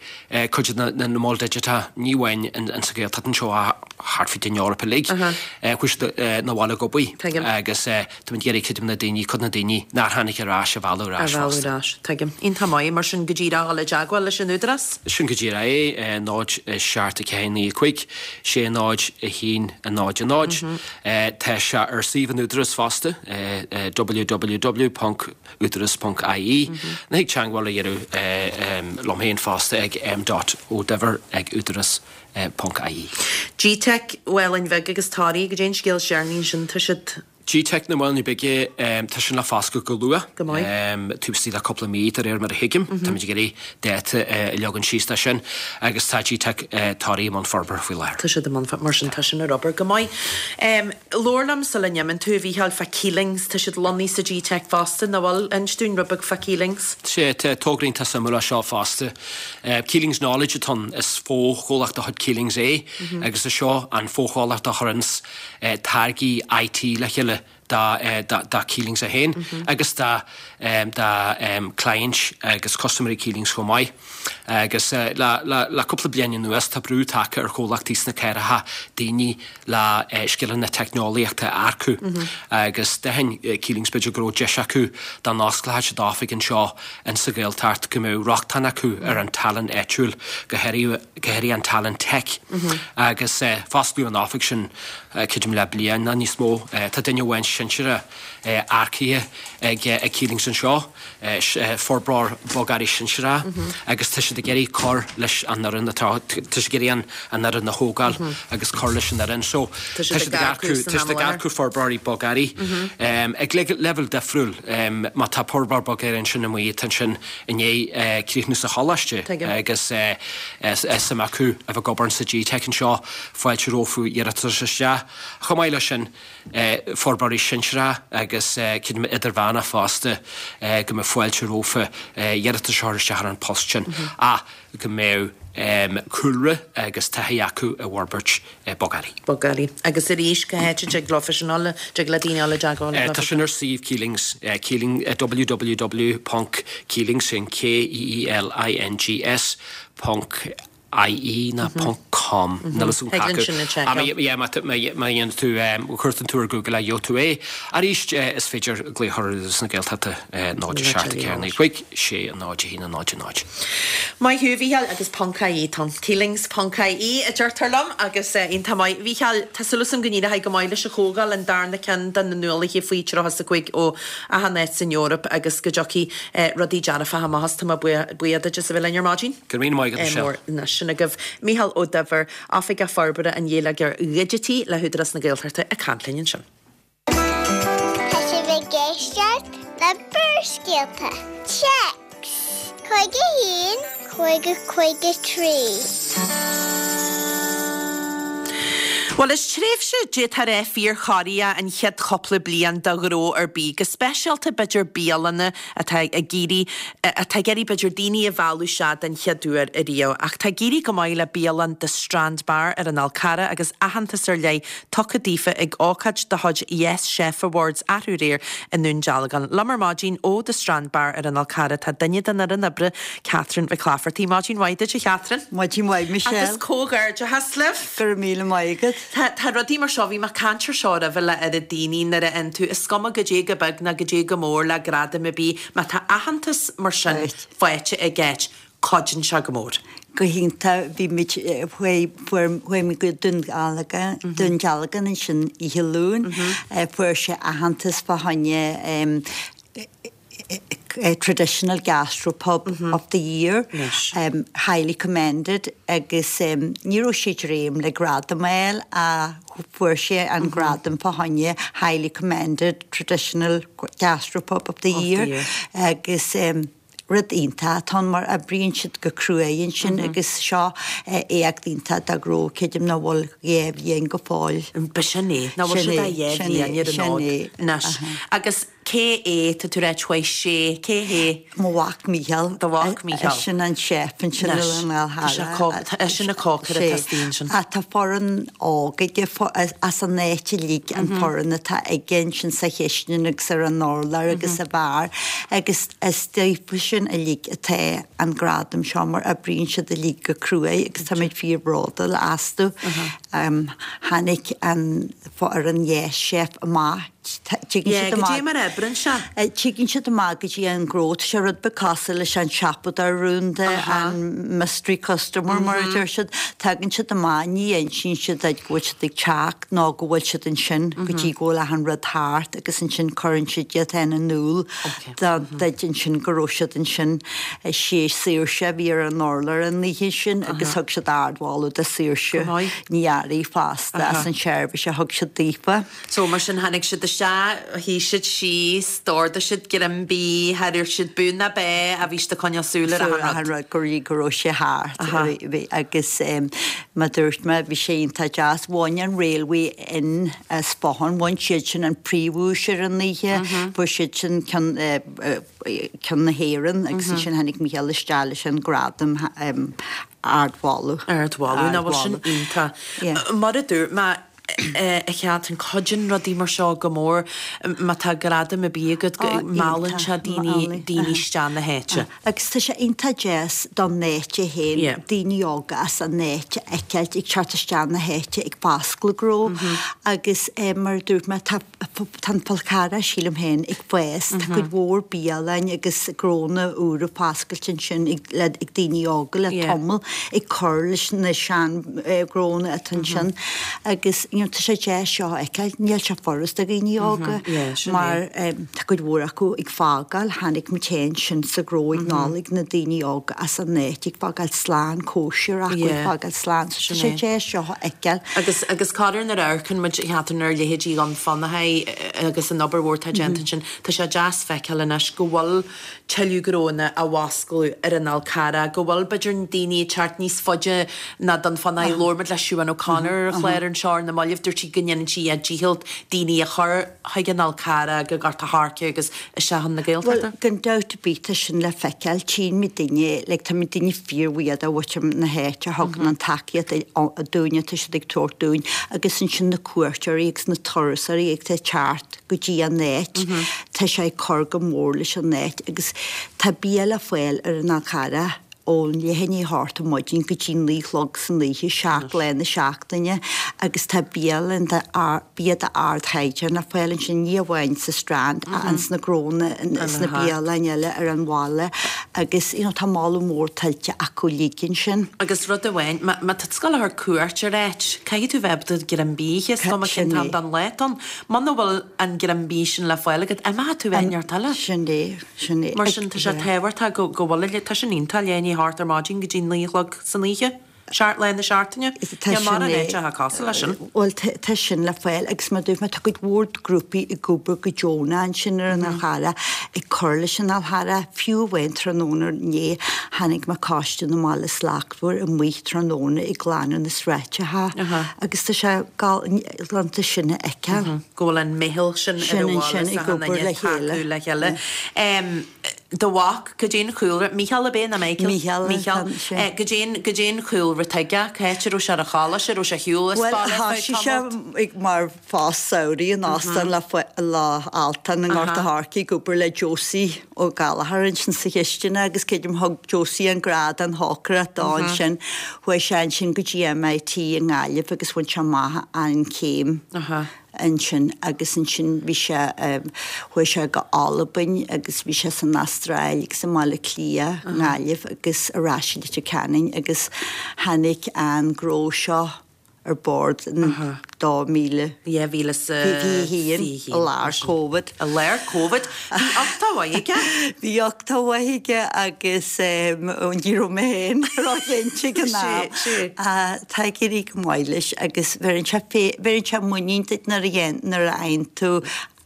cuid de na moil digiteacha, ní amháin in sa Ghaeltacht anseo ach thart fríd an Eoraip uilig, chuaigh siad 'na bhaile ag obair agus Táimid ag iarraidh cuid de na daoine, cuid de na daoine nár tháinig ar ais a mhealladh ar ais fosta. A mhealladh ar ais. Tuigim. Iontach maith. Mar sin go díreach a dhul i dteagmháil leis an Údarás? Sin go díreach é. 0 7 4 9 5 6 0 1 0 0. Tá sé ar suíomh an Údaráis fosta, www.udaras.ie. Nó thig teagmháil a dhéanamh liom féin fosta ag m dot o duibhir ag udaras ponc ie. GTeic Mhálainn Bhig agus Toraigh, goidé an scéal is deireanaí ansin, tá siad. GTeic na Málainne Bige, tá sin le foscailt go luath. Go maith. Taobh istigh de cúpla mí, de réir mar a thuigim. Táimid ag iarraidh dáta a leagan síos dó sin agus tá GTeic Toraigh i mbun forbartha faoi láthair. Tá siad i mbun, mar sin tá sin ar obair. Go maith. Labhair liom sula n-imíonn tú, a Mhícheáil, fá Keelings. Tá siad lonnaithe sa GTeic fosta, nach bhfuil? Inis dúinn rud beag fá Keelings. Sea, tá togra iontach suimiúil é seo fosta. Keelings Knowledge atá ann, is fo-chomhlacht de chuid Keelings é agus is seo an fo-chomhlacht a chuireanns táirgí IT le chéile do Keelings é féin agus do cliaint agus custaiméirí Keelings chomh maith. Agus le cúpla bliain anuas tá brú tagtha ar chomhlachtaí sna cathracha daoine le scileanna teicneolaíochta a earcú agus d'aithin Keelings b'fhéidir go raibh deis acu dá n-osclódh siad oifig anseo in sa Ghaeltacht go mbeadh rochtain acu ar an tallann áitiúil, go háirithe an tallann tech. Agus fosclaíodh an oifig sin, creidim le bliain nó níos mó. Tá duine amháin. sinsearach earcaithe ag Keelings anseo, forbróir bogearraí sinsearach, agus tá siad ag iarraidh cur leis an fhoireann atá, tá siad ag iarraidh an fhoireann a thógáil agus cur leis an fhoireann. So tá siad ag earcú, tá siad ag earcú forbróirí bogearraí ag leibhéal difriúil. Má tá forbróir bogearraí ansin amuigh atá ansin i ndiaidh críochnú sa choláiste agus suim acu a bheith ag obair sa GTeic anseo, fáilte rompu iarratas isteach. Chomh maith leis sin, forbróirí sinsearach agus creidim idirmheánach fosta go mbeadh fáilte rompu iarratas a chur isteach ar an post sin ach go mbeadh cúlra agus taithí acu i bhforbairt bogearraí. Bogearraí. Agus arís, cá háit a dtig leo sin a fháil, dtig le daoine dul i dteagmháil leo? Tá sin ar suíomh Keelings, Keeling, www ponc Keelings, sin K-E-E-L-I-N-G-S ponc ie ná ponc com. Níl fhios agam Thig linn sin a sheiceáil. Yeah, má dhéanann tú, cuartaíonn tú ar Google é, gheobhaidh tú é. Arís, is féidir glaoch ar Údarás na Gaeltachta 0 7 4 9 5 6 0 1 0 0. Maith thú, a Mhícheáil, agus ponc ie atá ann. Keelings ponc ie a deirtear liom agus iontach maith. A Mhícheáil, tá súil agam go n-éireoidh go maith leis an chomhdháil, an darna ceann do na nuálaithe faoi 35 ó achan áit san Eoraip agus go dtiocfaidh rudaí dearfacha amach as. Tá mé buíoch duit as a bheith linn ar maidin. Go raibh míle maith agat, Michelle. Mór anois sin agaibh. Mícheál Ó Duibhir, Oifigeach Forbartha an Gheilleagair Dhigitigh le hÚdarás na Gaeltachta ag caint linn ansin. Tá sibh ag éisteacht le Barrscéalta. Téacs 51 50 53. Bhuel, is tréimhse d'fhéadfá a rá fíorchorraitheach an chéad chúpla bliain do ghnó ar bith, go speisialta b'fhéidir bialanna atá ag iarraidh, atá ag iarraidh b'fhéidir daoine a mhealladh isteach den chéad uair ariamh. Ach tá ag éirí go maith le bialann The Strand Bar ar an Fhál Carrach agus aitheantas ar leith tugtha daofa ag ócáid de chuid Yes Chef Awards arú aréir i nDún Dealgan. Liom ar maidin ó The Strand Bar ar an Fhál Carrach tá duine den fhoireann oibre, Catherine Mhic Laifeartaigh. Maidin mhaith duit a Chatherine. Maidin mhaith Michelle. Agus comhghairdeachas libh. Go raibh míle maith agat. Tá, tá rudaí mar seo, bhí mé ag caint ar seo roimhe le oiread daoine nuair a fhaigheann tú, is cuma goidé go beag ná goidé go mór le gradam ar bith, má tá aitheantas mar sin faighte ag áit, cuidíonn sé go mór. Go hiontach, bhí muid, chuaigh, fuair, chuaigh muid go Dún Dealgan, Dún Dealgan ansin oíche Luain, fuair sé aitheantas fá choinne Traditional Gastro Pub of the Year, Highly Commended agus ní raibh sé ag dréim le gradam a fháil ach fuair sé an gradam fá choinne Highly Commended Traditional Gastro Pub of the Year agus rud iontach atá ann mar oibríonn siad go cruaidh ansin agus seo éacht iontach dá ngnó, creidim nach bhfuil 2 bhliain go fóill. B'shin é, nach bhfuil siad ach 2 bhliain ar an fhód anois agus Cé é? Tá tú ag ráit chuaigh sé. Cé hé? Mo mhac Mícheál. Do mhac Mícheál. Eisean an chef ansin ar an Fhál Charrach. Tá eisean an cócaire atá istigh ansin. Ach tá foireann óg aige as an áit uilig an foireann atá aige ansin sa chistin agus ar an urlár agus sa bheár agus is daofa sin uilig atá an gradam seo mar oibríonn siad uilig go cruaidh agus táimid fíor bhródúil astu. Tháinig an foireann Yes Chef amach Tigeann Yeah, siad goidé amach. mar a oibreann sé. Tigeann siad amach go dtí an gnó. Tá sé rud beag cosúil leis an siopadóir rúnda, an mystery customer mar a deir siad. Tagann siad amach, ní insíonn siad duit go bhfuil siad ag teacht nó go bhfuil siad ansin go dtí go bhfuil achan rud thart agus ansin cuireann siad iad féin in iúl duit ansin go raibh siad ansin. Is í Saoirse a bhí ar an urlár an oíche sin agus thug siad ardmholadh do Saoirse Ní Fhearraigh fosta as an tseirbhís a thug siad daofa. So, mar sin, tháinig siad isteach, shuigh siad síos, d'ordaigh siad greim bídh, char dhúirt siad bú ná bá ach bhí siad ag coinneáil súil ar achan rud. Achan rud, go dtí go raibh sé thart. Bhí, agus mar dúirt mé, bhí sé iontach deas. Bhain an Railway Inn as Bothán, bhain siad sin an príomhdhuais ar an oíche, fuair siad sin ceann, ceann na hÉireann agus ansin tháinig Mícheál isteach leis an gradam ardmholadh. Ardmholadh, nach bhfuil sin iontach. Mar a dúirt mé, a Chatherine, cuidíonn rudaí mar seo go mór má tá gradam ar bith agat, meallann sé daoine, daoine isteach na háite. Agus tá sé iontach deas don áit é féin, daoine óga as an áit a fheiceáilt ag teacht isteach na háite ag foscladh gnó agus mar a dúirt mé tá tá an Fál Carrach sílim féin ag fás, tá cuid mhór bialann agus gnónna úra foscailte ansin ag le ag daoine óga le tamall ag cur leis na sean gnónna atá ansin agus. you know tá sé deas seo a fheiceáil, níl sé furast do dhaoine óga mar tá cuid mhór acu ag fágáil, chonaic muid féin sin sa ghnó ag Nollaig, na daoine óga as an áit ag fágáil slán, cóisir acu ag fágáil slán, so tá sé deas seo a fheiceáil. Agus agus corruair nuair a amharcann muid Catherine ar leithéidí Dhún Fionnachaidh agus an obair mhór atá déanta ansin, tá sé deas feiceáil anois go bhfuil tuilleadh gnóanna á bhfoscladh ar an Fhál Carrach, go bhfuil b'fhéidir daoine ag teacht níos faide ná Dún Fionnachaidh. Labhair muid le Siobhán O'Connor ar an chlár anseo ar na mallaibh, dúirt sí go ndéanann sí a dícheall daoine a chur chuig an Fhál Carrach, go Gort a' Choirce agus isteach chun na Gaeltachta. Bhuel, gan dabht ar bith tá sin le feiceáil. Tchíonn muid daoine, like tá muid daoine fíorbhuíoch de mhuintir na háite a thugann an tacaíocht dúinn atá siad ag tabhairt dúinn agus ansin na cuairteoirí agus na turasóirí atá ag teacht go dtí an áit. Tá sé ag cur go mór leis an áit agus tá bia le fáil ar an Fhál Carrach ón leath i ndiaidh a hocht ar maidin go dtí 9 a chlog san oíche, 7 lá na seachtaine agus tá bialann de bia d'ardchaighdeán le fáil ansin, ní amháin sa Strand ach ins na gnónna, sna bialanna eile ar an bhaile agus you know tá moladh mór tuillte acu uilig ansin. Agus rud amháin, má tá tú ag gabháil a chur cuairt ar áit, caithfidh tú bheith ábalta greim bídh, is cuma cén t-am den lá atá ann. Muna bhfuil an greim bídh sin le fáil agat, imeoidh tú áit inteacht eile. Sin é, sin é. Mar sin, tá sé tábhachtach go bhfuil a, tá sin iontach, leath i ndiaidh a hocht ar maidin go dtí 9 a chlog san oíche, 7 lá na seachtaine. Tá Níl sin mórán é. áiteacha cosúil leis sin. Bhuel, tá sin le fáil agus mar a dúirt mé, tá cuid mhór grúpaí ag obair go deonach ansin ar an Fhál Charrach, ag cur leis an Fhál Charrach. Fiú amháin tráthnóna inné, chonaic mé Coiste na mBaile Slachtmhar amuigh tráthnóna ag glanadh na sráideacha agus tá sé galánta sin a fheiceáil. Go bhfuil an meitheal sin ar an bhaile is achan duine ag tacú le chéile. Do mhac, cad é an chúlra, Mícheál ab é nó Michael? Mícheál. Mícheál. Cad é an, cad é an chúlra atá aige, cá háit a raibh sé ar an choláiste, an raibh sé ar shiúl as Bhuel, baile ar feadh thoisigh sé tamalt? ag mar phost samhraidh in Óstán Loch Altan i nGort a' Choirce ag obair le Josie Ó Gallchóir ansin sa chistin agus creidim thug Josie an grá don chócaireacht dó ansin. Chuaigh sé ansin go dtí MIT i nGaillimh agus bhain sé amach an chéim ansin agus ansin bhí sé, chuaigh sé go Albain agus bhí sé san Astráil agus i mBaile Átha Cliath, i nGaillimh agus ar ais i Leitir Ceanainn agus tháinig an gnó seo ar bord in 2021 i lár Covid. I lár Covid. Bhí uchtach mhaith aige. Bhí uchtach mhaith aige agus ní raibh mé féin róchinnte ag an am. Tá ag éirí go maith leis agus bheireann sé bheireann sé muinín duit nuair a nuair a fhaigheann tú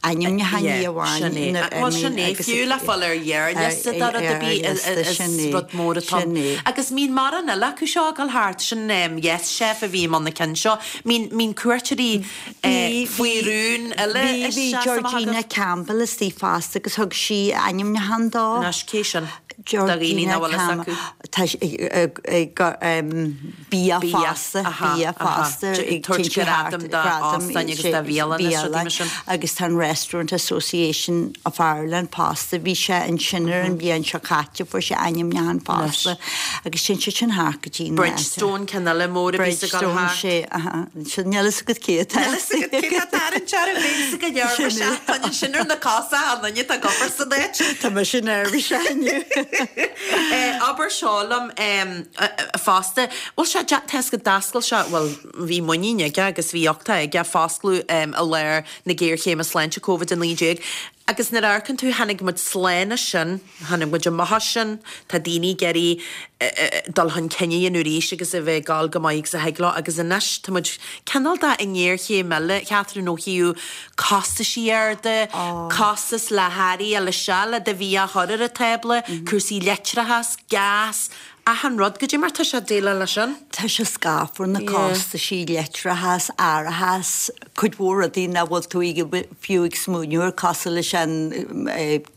ainmniúchán ní amháin Sin é. nuair Bhuel sin é, agus fiú le fáil ar ghearrliosta de rud ar bith is rud mór atá ann. Agus mbíonn mórán eile acu seo ag dul thart, sin Yes Chef a bhí i mbun na cinn seo. Mbíonn cuairteoirí faoi rún eile Bhí isteach is amach Georgina agat. Campbell istigh fosta agus thug sí ainmniúchán dó. Anois cé sin? Do dhaoine Georgina nach bhfuil fhios acu. Tá sí ag Bia fosta, bia fosta, ag tabhairt gradam d'óstáin agus do bhialanna is rudaí mar sin. Agus tá an Restaurant Association of Ireland fosta, bhí sé ansin ar an bhliain seo caite, fuair sé ainmniúchán fosta agus téann siad sin thart go dtí na. Bridgestone, ceann eile mór a bhíos ag dul Bridgestone, thart. sé, aha, sin, níl fhios agat cé atá. Níl fhios agat cé atá tarraingt orm, bhí fhios go neirbhíseach, tá sin ar na cosa, an duine atá ag obair san áit. Tá mise neirbhíseach inniu. Abair seo liom. fosta. Bhuel sea, tá fhios agat d'oscail sé, bhuel, bhí muinín aige agus bhí uchtach aige foscladh i lár na géarchéime sláinte Covid-19 agus nuair a amharcann tú, tháinig muid slán as sin, tháinig muid amach as sin, tá daoine ag iarraidh dul chun cinn a dhéanamh arís agus a bheith ag gabháil go maith agus a thig leo agus anois tá muid cineál de i ngéarchéim eile, Catherine, ó thaobh costaisí arda, costas le hearraí a fháil isteach le do bhia a chur ar an tábla, cúrsaí leictreachas, gás, achan rud. Goidé mar tá sé ag déileáil leis sin? Tá sé scáfar, na costaisí, leictreachas, árachas, cuid mhór rudaí nach bhfuil tú fiú ag smaoineamh air cosúil leis an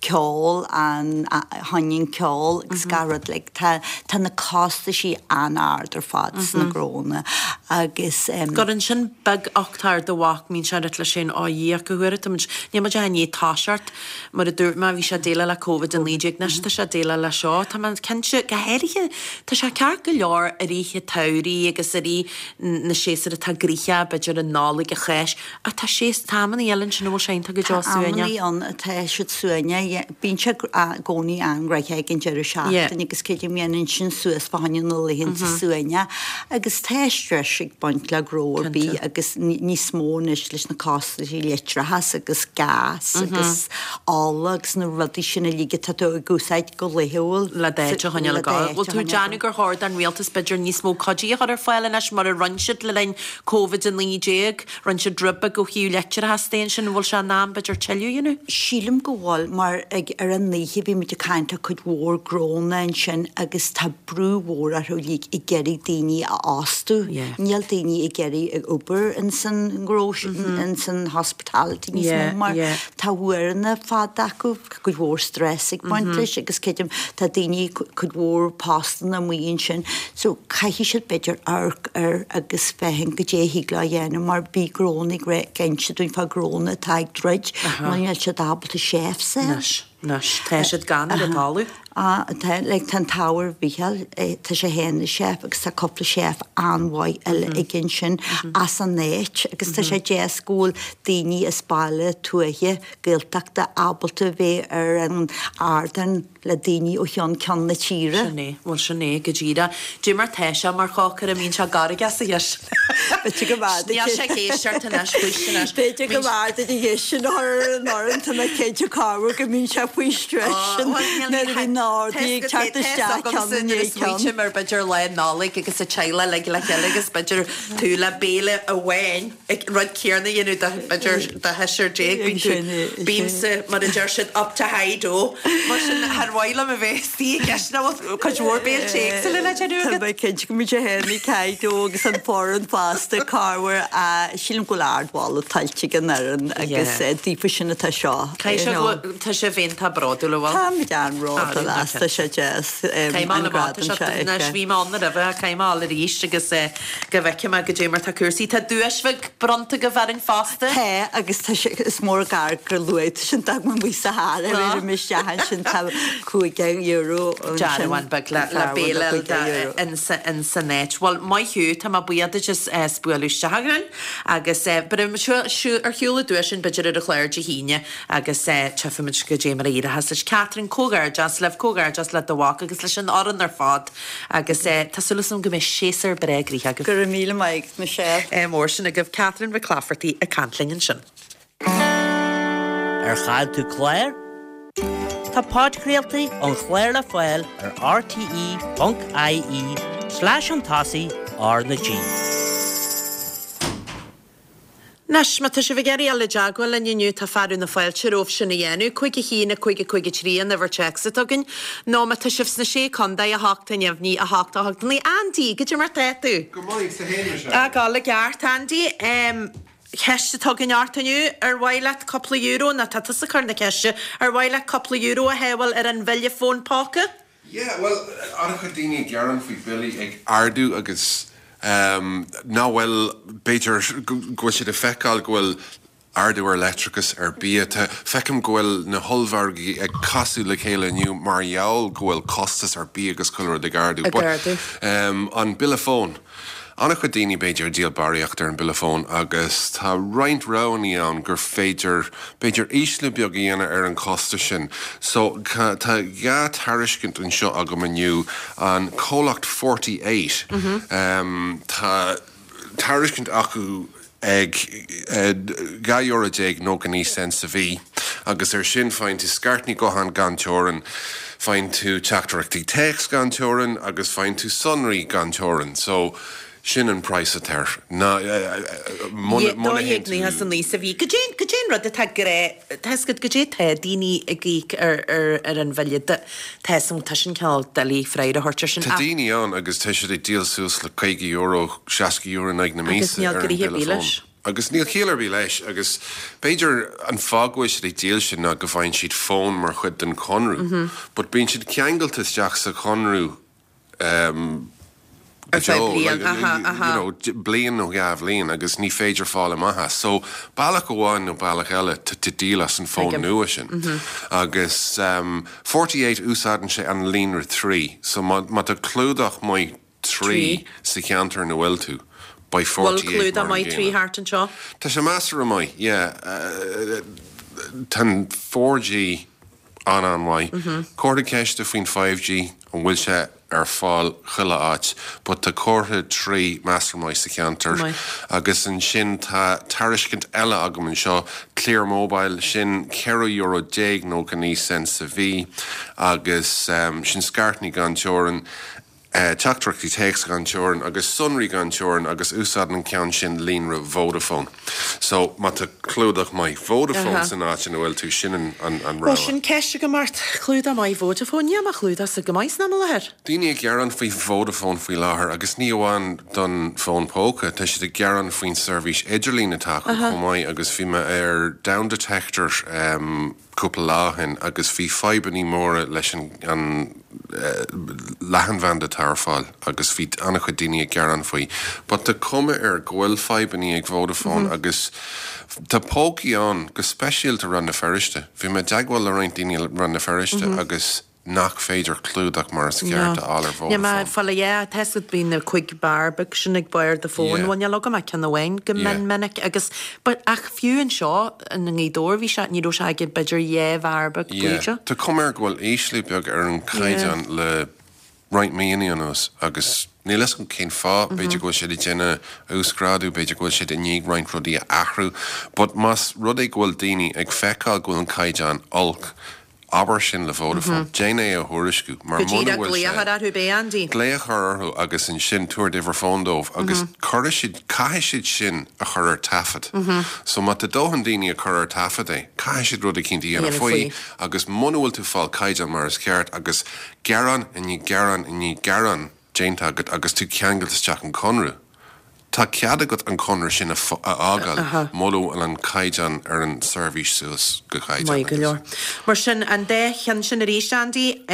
ceol, an shoineann ceoil agus gach rud like tá tá na costaisí an-ard ar fad sna gnónna agus. Cuireann sin beag-uchtach ar do mhac, mbíonn sé ag rá leis féin, Ó a Dhia, cá huair atá muid, níl muid ach i ndiaidh toiseacht, mar a dúirt mé, bhí sé ag déileáil le Covid-19, anois tá sé ag déileáil le seo. Tá mé cinnte, go háirithe, tá sé ceart go leor i rith an tsamhraidh agus i rith na séasúir atá gnoitheach, b'fhéidir an Nollaig, an Cháisc. deis. Ach tá sé, tá amannaí eile ansin a bhfuil sé iontach go deo Tá suaimhneach. amannaí ann atá siad suaimhneach. Bíonn sé i gcónaí an-ghnoitheach ag an deireadh seachtaine agus creidim dhéanann sin suas fá choinne na laethanta suaimhneach. Agus tá stress ag baint le gnó ar bith agus níos mó anois leis na costaisí leictreachas agus gas agus ola agus na rudaí sin uilig atá tú ag úsáid go laethúil. Le d'áit a choinneáil ag gabháil. Bhfuil tú ag déanamh gur chóir don rialtas b'fhéidir níos mó cuidí a chur ar fáil anois mar a rinne siad le linn Covid-19? Rinne siad rud beag ó thaobh leictreachas de ansin, an bhfuil sé in am b'fhéidir tuilleadh a dhéanamh? Sílim go bhfuil, mar ag ar an oíche bhí muid ag caint le cuid mhór gnónna ansin agus tá brú mhór orthu uilig ag iarraidh daoine a fhostú. Níl daoine ag iarraidh ag obair ins an ngnó sin, ins an hospitality níos mó mar tá uaireanna fada acu, cuid mhór stress ag baint leis agus creidim tá daoine cuid mhór postanna amuigh ansin so caithfidh siad b'fhéidir amharc air agus féachaint goidé a thig leo a dhéanamh mar bhí gnónna ag ag inse dúinn fá gnónna atá ag druid mar níl siad ábalta chefs a fháil. Anois, anois, tá siad gann ar an talamh. Ah, tá, like, tá an t-ádh ar Mhícheál, tá sé féin ina chef agus tá cúpla chef an-mhaith eile aige ansin as an áit agus tá sé deas go bhfuil daoine as baile tuaithe Gaeltachta ábalta bheith ar an ardán le daoine ó cheann ceann na tíre. Sin é, bhuel sin é go díreach. Dé mar tá sé mar chócaire, an mbíonn sé gairgeach sa chistin. B'fhéidir go mb'fhearr duit. Níl sé ag éisteacht anois, faoistin anois. B'fhéidir go mb'fhearr duit an cheist sin a chur ar an fhoireann, tá mé cinnte corruair go mbíonn sé faoi stress sin nuair a bhíonn na hordaí ag teacht isteach ceann i ndiaidh ceann. Smaoiním ar b'fhéidir lá Nollag agus an teaghlach uilig le chéile agus b'fhéidir tú le béile amháin. ag rud céanna a dhéanamh do, b'fhéidir, do sheisear déag, bíonn tú, bímse, mar a deir siad, up to high dough. Mar sin, char mhaith liom a bheith istigh i gceist nach bhfuil cuid mhór béiltí éagsúla le déanamh Tá agat. mé cinnte go mbíonn sé féin ag high dough agus an foireann fosta, corruair, sílim go bhfuil ardmholadh tuillte ag an fhoireann agus daofa sin atá seo, Caithfidh sé go bhfuil, tá sibh iontach bródúil, an bhfuil? Táimid an-bhródúil as, tá sé deas Caithfidh mé an a fháil amach, gradam seo a anois, fheiceáil. bhí mé ann roimhe, caithfidh mé a fháil arís agus Go bhfeicfidh mé goidé mar tá cúrsaí. Tá duais bheag bronnta agaibh orainn fosta. Tá, agus tá sé, is mór an gar gur luaigh tú sin, d'fhág mé amuigh sa charr é, ar mé isteach ansin tá €5 ansin. Dearbhán beag le le béile in san áit. Bhuel, maith thú, tá mé buíoch duit as as bualadh isteach chugainn agus beidh ar shiúl an duais sin b'fhéidir ar an chlár Dé hAoine agus tchífimid goidé mar a éireochas leis. Catherine, comhghairdeas libh, comhghairdeas le do mhac agus leis an fhoireann ar fad. Agus tá súil agam go mbeidh séasúr breá gnoitheach agaibh. Go raibh míle maith agat, Michelle. Ádh mór sin agaibh. Catherine Mhic Laifeartaigh ag caint linn ansin. Ar chaill tú clár? Tá podchraoltaí an chláir le fáil ar rte.ie slash chun tosaigh R na G. Anois, má tá sibh ag iarraidh dul i dteagmháil linn inniu, tá fearadh na fáilte romhaibh sin a dhéanamh, 5 1 5 5 3 an uimhir téacs atá againn, nó má tá sibh sna Sé Contae, 8 neamhní 8 8 9. Andy, goidé mar tá tú? Go maith, 's tú fhéin, Michelle? Ag dul i gceart, Andy. Ceist atá againn ort inniu, ar mhaith leat cúpla euro, nó tá tusa ag cur na ceiste, ar mhaith leat cúpla euro a shábháil ar an bhille fón póca? Yeah, bhuel, an-chuid daoine ag gearán faoi billí ag ardú agus nach bhfuil, b'fhéidir go bhfuil siad ag feiceáil go bhfuil ardú ar leictreachas, ar bia. Tá, feicim go bhfuil na hollmhargaí ag casadh le chéile inniu mar gheall go bhfuil costas ar bia agus chuile rud ag ardú. Ag ardú. But an bille fóin. An-chuid daoine, b'fhéidir, ag díol barraíocht ar an bille fóin agus tá roinnt roghanna ann gur féidir, b'fhéidir, ísliú beag a dhéanamh ar an chostas sin. So, tá dhá tairiscint anseo agam inniu, an comhlacht Forty Eight, tá tairiscint acu ag €12 99 sa mhí agus ar sin faigheann tú scairteanna gutháin gan teorainn, faigheann tú teachtaireachtaí téacs gan teorainn agus faigheann tú sonraí gan teorainn. So, sin an praghas atá air. Ná, muna théann tú. 12.99 sa mhí. Goidé, goidé an rud atá grá, tá 'fhios agat, goidé tá daoine ag íoc ar, ar, ar an bhille, tá 'fhios agam, tá sin cineál doiligh freagra a thabhairt ar sin Tá ach. daoine ann agus tá siad ag díol suas le €50, €60 in aghaidh na Agus míosa níl ar an gnoithe ar bhille bith fóin. leis. Agus níl ciall ar bith leis agus b'fhéidir an fáth go bhfuil siad ag díol sin ná go bhfaigheann siad fón mar chuid den chonradh. But bíonn siad ceangailte isteach sa chonradh go Ar feadh deo, bliain, like, aha, aha. you know, bliain nó dhá bhliain agus ní féidir fáil amach as. So bealach amháin nó bealach eile tá tú ag díol as an fón Tuigim. nua sin. Agus 48 úsáideann sé an líonra 3 so má tá clúdach maith 3 sa cheantar ina bhfuil tú. Beidh Bhfuil 48 mar clúdach an maith gcéanna. 3 thart anseo? Tá sé measartha maith, yeah. Tá an 4G an-an-mhaith. Comhartha ceiste faoin 5G, an bhfuil sé ar fáil chuile áit, but tá comhartha 3 measartha maith sa cheantar. Agus ansin tá tairiscint eile agam anseo, Clear Mobile, sin €14 99 cent sa mhí agus sin scairteanna gan teorainn. teachtaireachtaí téacs gan teorainn agus sonraí gan teorainn agus úsáideann an ceann sin líonra Vodafone. So, má tá clúdach maith Vodafone san áit ina bhfuil tú, sin an Bhuel, rogha. sin ceist agam ort. Clúdach maith Vodafone? Níl mo chlúdachsa go maith san am i láthair. Daoine ag gearán faoi Vodafone faoi láthair agus ní amháin don fón póca, tá siad ag gearán faoin seirbhís idirlín atá acu chomh maith agus bhí mé ar Downdetector, cúpla lá ó shin agus bhí fadhbannaí móra leis an leathanbhanda atá ar fáil agus bhí an-chuid daoine ag gearán faoi. But tá cuma air go bhfuil fadhbannaí ag Vodafone agus tá pócaí ann, go speisialta Rann na Feirste. Bhí mé i dteagmháil le roinnt daoine i Rann na Feirste agus nach féidir clúdach mar is ceart a fháil ar Níl mé Vodafone. fáil yeah, tá 'fhios agat bíonn na 5 bar beag sin ag barr do fóin, Yeah. bhuel níl agam ach ceann amháin go Yeah. mion minic agus but ach fiú anseo i nGaoth Dobhair bhí sé, ní raibh sé ag b'fhéidir 2 bharr beag Yeah. bíde. Tá cuma air go bhfuil ísliú beag ar an Yeah. chaighdeán le roinnt míonna anuas agus níl 'fhios agam cén fáth, b'fhéidir go bhfuil siad ag déanamh uasghrádú, b'fhéidir go bhfuil siad i ndiaidh roinnt rudaí a athrú but más rud é go bhfuil daoine ag feiceáil go bhfuil an caighdeán olc, Abair sin le Vodafone. Déan é a thuairisciú. Mar Go muna díreach bhfuil glaoch sé. ar orthu, b'é Andy. Glaoch orthu agus ansin tabhair d'uimhir fóin dóibh agus cuirfidh siad, caithfidh siad sin a chur ar taifead. So má tá dóthain daoine ag cur ar taifead é, caithfidh siad rud eicínt a dhéanamh faoi agus muna bhfuil tú ag fáil caighdeán mar is ceart agus gearán i ndiaidh gearán i ndiaidh gearán déanta agat agus tú ceangailte isteach in conradh, Tá cead agat an conradh sin a fhágáil mura bhfuil an caighdeán ar an seirbhís suas go caighdeán Maith go agus. leor. Mar sin, an dá cheann sin arís, Andy.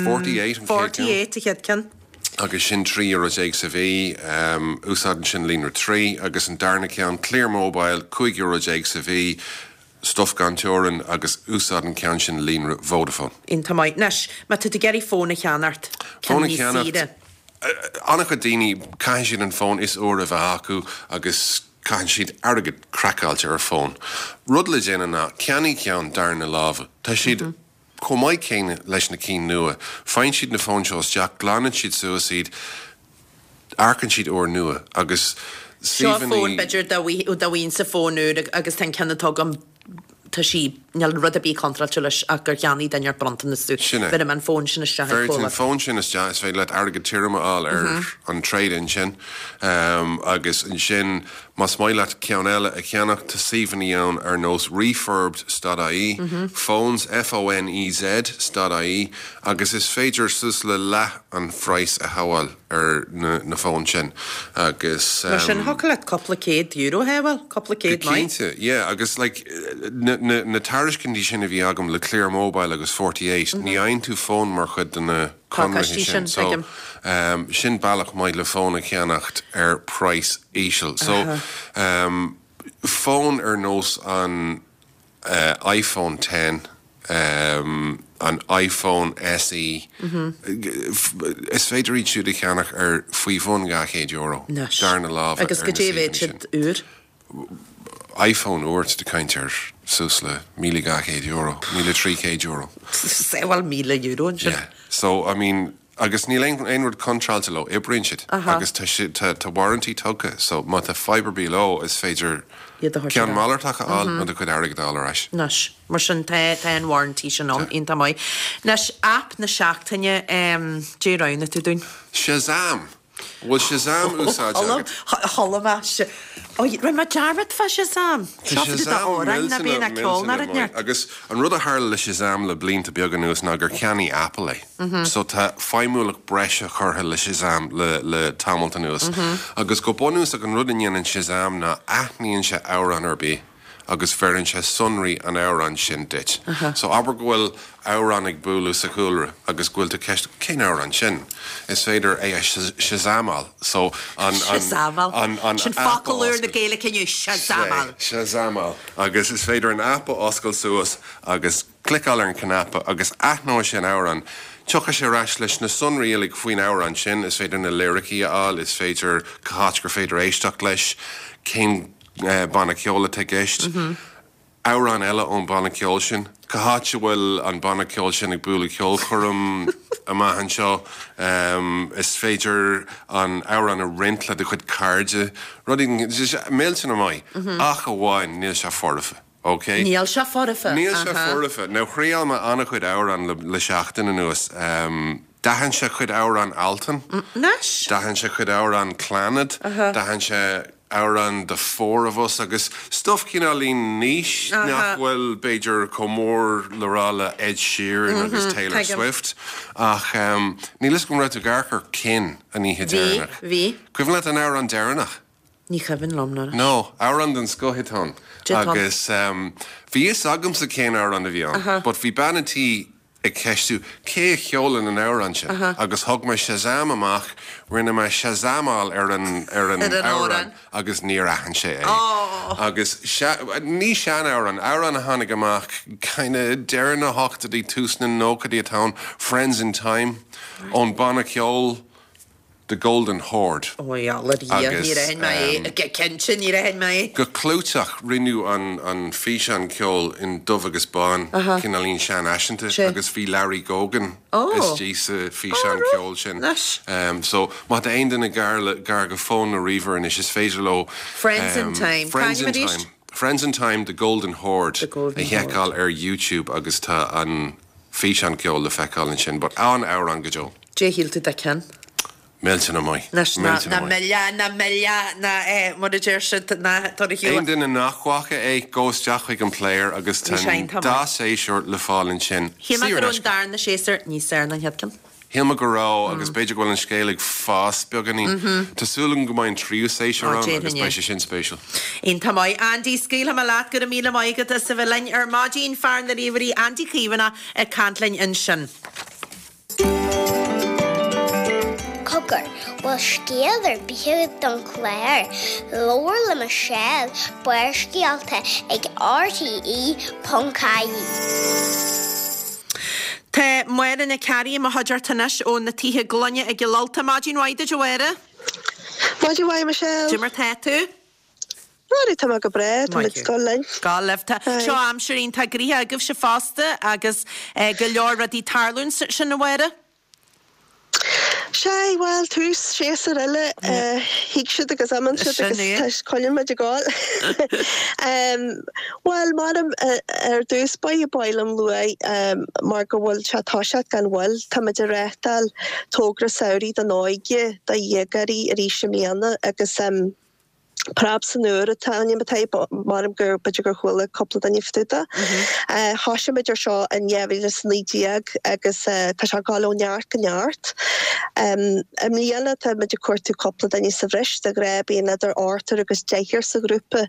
48 an chéad cheann. 48 an chéad ceann. Agus sin €13 euro sa mhí. Úsáideann sin líonra 3. Agus an darna ceann, Clear Mobile, €15 euro sa mhí. Stuif gan teorainn agus úsáideann an ceann sin líonra Vodafone. Iontach maith. Anois, má tá tú ag iarraidh fón a cheannacht, Fón ceann a níos cheannacht, saoire. An-chuid daoine, caitheann siad an fón is úire a bheith acu agus caitheann siad airgead craiceáilte ar fón. Rud le déanamh ná ceannaigh ceann darna láimhe. Tá siad chomh maith céanna leis na cinn nua. Faigheann siad na fóin seo isteach, glanann siad suas iad, amharcann siad úrnua agus Seo suíomhanna. fón b'fhéidir dá bhfaighinn-se fón úr agus tá an ceann atá agam tá sí, níl rud ar bith contráilte leis ach gur cheannaigh duine inteacht bronntanas domh. Sin é. Bhéarfaidh mé an fón sin isteach ag Bheir tú an comhlacht. fón sin isteach, is féidir leat airgead tirim a fháil ar an trade-in sin agus ansin más maith leat ceann eile a cheannach tá suíomhanna ann ar nós refurbed.ie, phones, F-O-N-E-Z, .ie agus is féidir suas le leath an phraghas a shábháil ar na fóin sin agus. Mar sin, thiocfadh leat cúpla céad euro a shábháil, cúpla Go céad maith. cinnte, yeah, agus like na tairiscintí sin a bhí agam le Clear Mobile agus 48, ní fhaigheann tú fón mar chuid de na conarthaí Pacáistí sin, sin, so tuigim. sin bealach maith le fón a cheannacht ar praghas íseal. So fón ar nós an iPhone X, an iPhone SE, is féidir iad siúd a cheannach ar faoi bhun €200, Anois. darna láimhe Agus ar na goidé a bheadh suíomhanna sin. siad úr? iPhone úr, tá tú ag caint ar suas le €1,200, €1,300. Bhuel, €1,000 ansin. Yeah. So, I mean, Agus níl aon rud contráilte leo, oibríonn siad agus tá siad, tá, tá warranty tugtha so má tá fadhb ar bith leo is féidir Iad a thabhairt ceann ar ais. malartach a fháil nó do chuid airgid a fháil ar ais. Anois, mar sin tá, tá an warranty sin ann, iontach maith. Anois, aip na seachtaine, em, caidé a roghnaigh tú dúinn. Shazam! An bhfuil Shazam úsáidte agat? Chuala mé, Ó, rinne mé dearmad fá Shazam! Tá Seo fadú Shazam d'amhráin ná bíonn millteanach, ach ceol ná millteanach rud maith. neart. Agus an rud a tharla le Shazam le blianta beaga anuas ná gur cheannaigh Apple é. So tá feidhmiúlacht breise curtha le Shazam le le tamalt anuas. Agus go bunúsach an rud a ndéanann Shazam ná aithníonn sé amhrán ar bith agus bheireann sé sonraí an amhráin sin duit. So abair go bhfuil amhrán ag bualadh sa chúlra agus go bhfuil tú ceist cén amhrán sin? Is féidir é a shazamáil. So an Shazamáil. an an Sin aip a focal úr na oscailt. Gaeilge inniu, shazamáil. Shazamáil. Agus is féidir an aip a oscailt suas agus cliceáil ar an cnaipe agus aithneoidh sé an amhrán. Tiocfaidh sé ar ais leis na sonraí uilig faoin amhrán sin, is féidir na liricí a fháil, is féidir cá háit gur féidir éisteacht leis, cén banna ceoil atá i gceist, amhrán eile ón banna ceoil sin, cá háit a bhfuil an banna ceoil sin ag bualadh ceolchoirm amach anseo, is féidir an amhrán a roinnt le do chuid cairde, rudaí, millteanach maith, ach amháin níl sé foirfe. Ok. Níl sé foirfe. Níl sé foirfe. Now thriail mé an-chuid amhrán le seachtain anuas. D'aithin sé cuid amhrán Altan. Anois. D'aithin sé cuid amhrán Clannad. D'aithin sé amhrán The Four of Us agus stuff cineáilín niche nach bhfuil b'fhéidir chomh mór le rá le Ed Sheeran agus Taylor Swift. Ach níl fhios agam raibh tú ag amharc ar Kin an oíche deireanach. Bhí, bhí. Cuimhin leat an amhrán deireanach? Ní cuimhin liom anois. No, amhrán den scoth atá ann. Agus bhí fhios agamsa cén amhrán a bhí ann, but bhí bean an tí ag ceistiú cé a cheolann an amhrán sin agus thug mé Shazam amach, rinne mé Shazamáil ar an ar an amhrán agus níor aithin sé é. Agus ní sean-amhrán, amhrán a tháinig amach kinda deireadh na hochtóidí, tús na nóchaidí atá ann, Friends in Time, ón banna ceoil The Golden Horde. Ó a Dhia, níor aithin mé é. Cinnte, níor aithin mé é. Go clúiteach, rinneadh an físeán ceoil in dubh agus bán, cineáilín seanfhaiseanta, agus bhí Larry Gogan istigh sa físeán ceoil sin. So, má tá aon duine gar gar go fón nó ríomhaire anois, is féidir leo Friends in Time. Friends in Time. Friends in Time, The Golden Horde a sheiceáil ar YouTube agus tá an físeán ceoil le feiceáil ansin, but an-amhrán go deo. Cad é shíl tú de Kin? Millteanach maith. Anois, ná, ná milleadh, ná milleadh, ná eh, mar a deir siad, ná tar a shiúl. Aon duine nach bhfaca é, gabh isteach chuig an player agus tá an dá séasúr le fáil ansin. Shíl mé go raibh an darna séasúr níos fearr ná an chéad ceann. Shíl mé go raibh, agus b'fhéidir go bhfuil an scéal ag fás beagáinín. Tá súil agam go mbeidh an tríú séasúr ann agus beidh sé sin spéisiúil. Iontach maith. Andy, scaoilfidh mé leat, go raibh míle maith agat as a bheith linn ar maidin, fear na ríomhairí, Andy Caomhánach ag caint linn ansin. Cogar, bhfuil scéal ar bith agat don chlár? Labhair le Michelle, Barrscéalta ag RTE.ie. Tá Máire Nic Fhearraigh i mo chuideachta anois ó na Tithe Gloine i gCill Ulta. Maidin mhaith duit a Mháire. Maidin mhaith Michelle. Cad é mar tá tú? Máire, Tá mé go breá, tá muid ag dul linn. Gabh libh. Tá seo aimsir iontach gnoitheach agaibhse fosta agus go leor rudaí ag tarlúint sin a Mháire. Sea, bhuel, tús séasúr eile, thig siad agus imíonn siad agus tá coinníonn muid ag gabháil. Bhuel, m'anam ar dtús báire ba mhaith liom lua mar go bhfuil sé ag toiseacht gan mhoill, tá muid ag reáchtáil togra samhraidh don óige, do dhéagóirí arís i mbliana agus Preab san Iúr atá ainm atá air, m'anam gur b'fhéidir gur chuala cúpla duine fá dtaobh de. Thoisigh muid ar seo in 2019 agus tá sé ag dul ó neart go neart. I mbliana tá muid ag cuartú cúpla duine sa bhreis, de ghnáth bíonn idir ochtar agus deichniúr sa ghrúpa.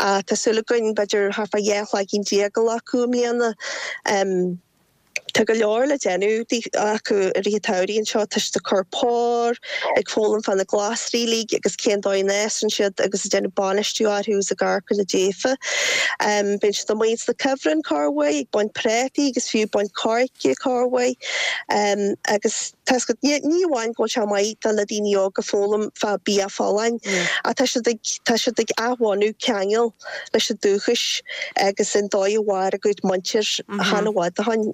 Tá súil againn b'fhéidir thart fá 12 shloigín a ghlacadh i mbliana. Tá go leor le déanamh acu i rith an tsamhraidh anseo, tá siad ag cur pór, ag foghlaim fá na glasraí uilig agus cén dóigh a n-fhásann siad agus ag déanamh bainistiú orthu agus ag amharc ar na daofa. Bíonn siad amuigh ins na cuibhrinn corruair, ag baint prátaí agus fiú ag baint coirce corruair. Agus tá 's agat, ní amháin go bhfuil sé maith do na daoine óga foghlaim fá bia folláin ach tá siad ag, tá siad ag athbhunú ceangal. leis an dúchais agus an dóigh a mhair a gcuid muintir chan i bhfad ó shoin.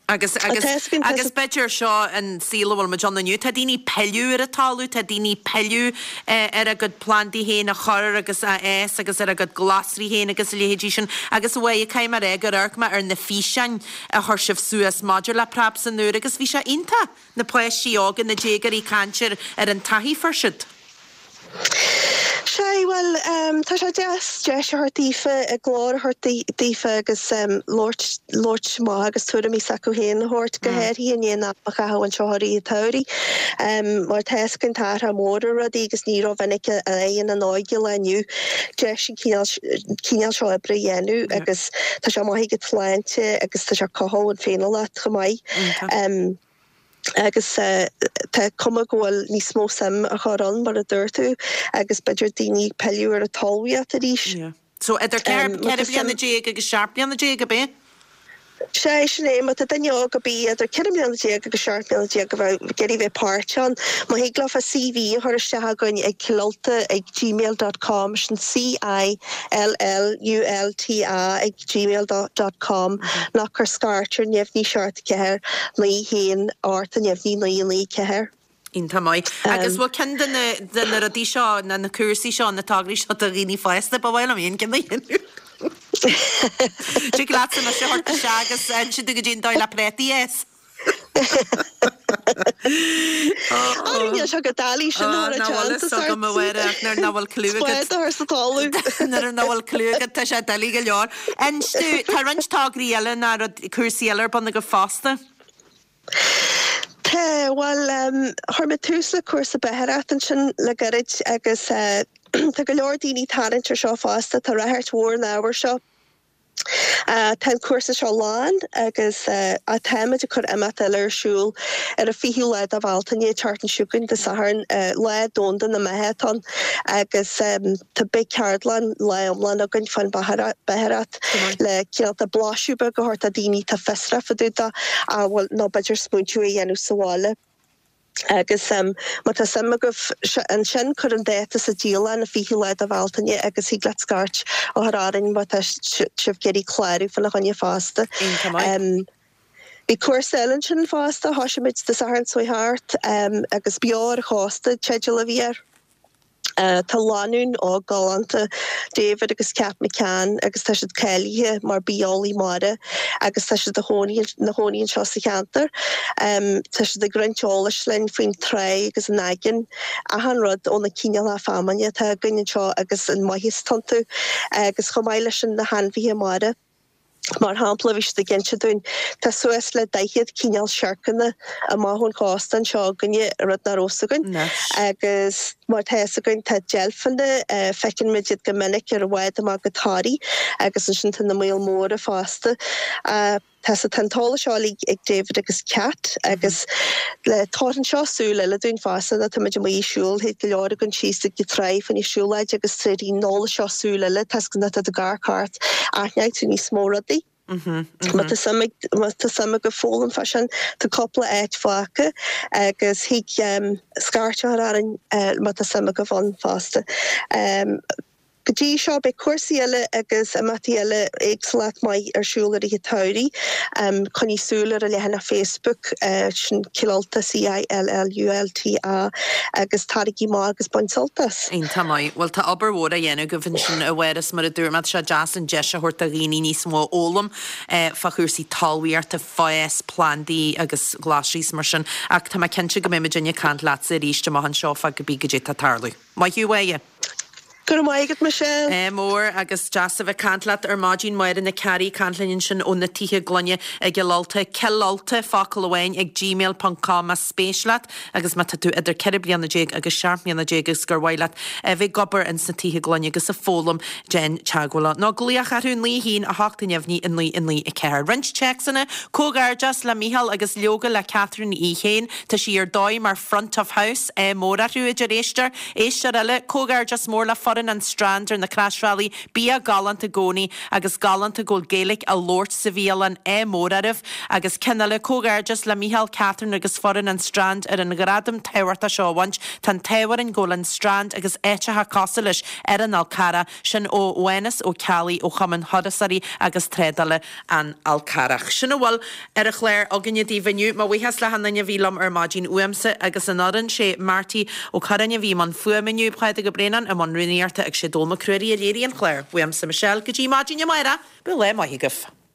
Agus, agus, agus b'fhéidir seo an saol a bhfuil muid ann inniu, tá daoine ag pilleadh ar an talamh, tá daoine ag pilleadh ar a gcuid plandaí féin a chur agus a fhás agus ar a gcuid glasraí féin agus a leithéidí sin. Agus a Mháire, caithfidh mé a rá gur amharc mé ar na físeáin a chuir sibh suas maidir le Preab san Iúr agus bhí sé iontach, na páistí óga, na déagóirí ag caint ar, ar an taithí a fuair siad. Sea, bhuel, tá sé deas deis a thabhairt daofa, a nglór a thabhairt daofa agus labhairt, labhairt amach agus tuairimí s'acu féin a thabhairt, go háirithe i ndiaidh an am a chaitheamh anseo i rith an tsamhraidh. Mar tá 'fhios againn tá athrach mór ar rudaí agus ní rómhinic a fhaigheann an óige lá inniu deis an cineál, cineál seo oibre a dhéanamh agus tá sé maith ag an tsláinte agus tá sé ag cothú an féiniúlacht chomh maith. agus tá cuma go bhfuil níos mó suim á chur ann, mar a dúirt tú, agus b'fhéidir daoine ag pilleadh ar an talmhaíocht arís. Yeah. So idir 14 bliana agus 17 bliana, ab é? Sea, sin é, má tá duine óg ar bith idir 14 mbliana agus 17 mbliana a bheadh ag iarraidh bheith páirteach ann, má thig leofa CV a chur isteach chugainn ag cillulta ag gmail dot com, sin C-I-L-L-U-L-T-A ag gmail dot com, nó cuir scairt ar neamhní 7 4 9 1 8 neamhní 9 9 4. Iontach maith. Agus bhfuil ceann de na, de na rudaí seo, na, na cúrsaí seo, na tograí seo do dhaoine fásta, ba mhaith liom aon ceann a dhéanamh. Tig leatsa mise a thabhairt isteach agus inse domh goidé an dóigh le préataí a fhás. Á, níl sé go doiligh sin a chur i Nach bhfuil dteannta fhios agam a Mháire ach nuair nach bhfuil cliú agat. Spád a chur sa talamh. Nuair nach bhfuil cliú agat tá sé doiligh go leor. Inis domh, tá roinnt tograí eile ná rud, cúrsaí eile ar bun agaibh fosta. Tá, bhuel, chuir mé tús le cúrsa beachaireachta ansin le gairid agus tá go leor daoine ag tarraingt ar seo fosta, tá ráchairt mhór ar an ábhar seo. Tá an cúrsa seo lán agus táimid ag cur imeacht eile ar siúl ar an 20ú lá de Bhealtaine, an tseachtain seo chugainn, Dé Sathairn, Lá Domhanda na mBeatha atá ann agus tá beidh ceardlann lá iomlán againn fán bheachaireacht le cineálta blaiseadh beag a thabhairt do daoine atá fiosrach fá dtaobh de bhuel nó b'fhéidir smaointiú a dhéanamh sa bhaile. Agus má tá suim agaibh ansin cuir an dáta sa dialann, an 20ú lá de Bhealtaine agus thig leat scairt a chur orainn má tá sibh ag iarraidh clárú fána choinne fosta. Iontach maith. Bhí cúrsa eile ansin fosta, thoisigh muid Dé Sathairn seo thart agus Beo ar an Chósta an teideal a bhí air. Tá lánúin óg galánta, David agus Cat McCann, agus tá siad cáilithe mar bitheolaí mara agus tá siad ina chónaí anseo sa cheantar. Tá siad ag roinnt eolais linn faoin tráigh agus an aigéan, achan rud ó na cineálacha feamainne atá againn anseo agus an maitheas atá iontu agus chomh maith leis sin na hainmhithe mara. Mar shampla, bhí siad ag inse dúinn, tá suas le 40 cineál siorcanna amach ón chósta anseo againne, rud nach raibh fhios againn. Agus mar tá fhios againn, tá deilfeanna, feiceann muid iad go minic ar an bhád amach go Toraigh, agus ansin tá na míol móra fosta. Tá so tá an t-eolas seo uilig ag David agus Cat agus le tabharann seo súil eile dúinn fosta nuair tá muid amuigh ag siúl, théid go leor againn síos ag an tráigh fá choinne siúlóid agus tabharann an eolas seo súil eile, tá nuair atá tú ag amharc thart, aithneoidh tú níos mó rudaí. Má tá suim ag, má tá suim agaibh foghlaim fá sin, tá cúpla áit fágtha agus thig scairt a chur orainn má tá suim agaibh ann fosta. Go dtí seo, beidh cúrsaí eile agus imeachtaí eile éagsúlacht maith ar siúl i rith an tsamhraidh. Coinnigh súil ar an leathanach Facebook, sin Cill Ulta, C-I-L-L-U-L-T-A, agus taraigí amach agus bain sult as. Iontach maith. Bhuel, tá obair mhór á dhéanamh agaibh ansin, a Mháire, is mar a dúirt mé, tá sé deas an deis a thabhairt do dhaoine níos mó a fhoghlaim fá chúrsaí talmhaíochta, fás plandaí agus glasraí is mar sin. Ach tá mé cinnte go mbeidh muidinne ag caint leatsa arís amach anseo fá cibé goidé atá ag tarlú. Maith thú, a Mháire! Go raibh maith agat, Michelle. Ádh mór agus deas a bheith caint leat ar maidin. Máire Nic Fhearraigh ag caint linn ansin ó na Tithe Gloine i gCill Ulta. Cill Ulta, focal amháin, ag gmail ponc com más spéis leat agus má tá tú idir 14 bliana agus 17 mbliana agus gur mhaith leat a bheith ag obair ins na Tithe Gloine agus ag foghlaim, déan teagmháil leo. Nó glaoch orthu 9 1 8 neamhní 9 9 4. Roinnt téacsanna, Comhghairdeas le Micheál agus leoga le Catherine í féin. Tá sí ar dóigh mar front of house. Ádh mór orthu, a deir éisteoir. Éisteoir eile, Comhghairdeas mór le foireann an Strand ar na Croisbhealaí, bia galánta i gcónaí agus galánta go bhfuil Gaeilge á labhairt sa bhialann, ádh mór oraibh. Agus ceann eile, Comhghairdeas le Micheál, Catherine agus foireann an Strand ar an ghradam tábhachtach seo a bhaint. Tá an t-ádh orainn go bhfuil an Strand agus áiteacha cosúil leis ar an Fhál Carrach, sin ó Mhánas Ó Ceallaigh ó Chumann Thurasóirí agus Trádála an Fhál Carrach. Sin a bhfuil ar an chlár againne daoibh inniu. Mo bhuíochas le hachan duine a bhí liom ar maidin uaimse agus an fhoireann, sé Marty Ó Curráin a bhí i mbun fuaime inniu, Pádraig Ó Braonáin i mbun rúnaíochta agus sé Dónall Mac Ruairí a léirigh an clár. Uaimse Michelle go dtí maidin amárach, bíodh lá maith agaibh.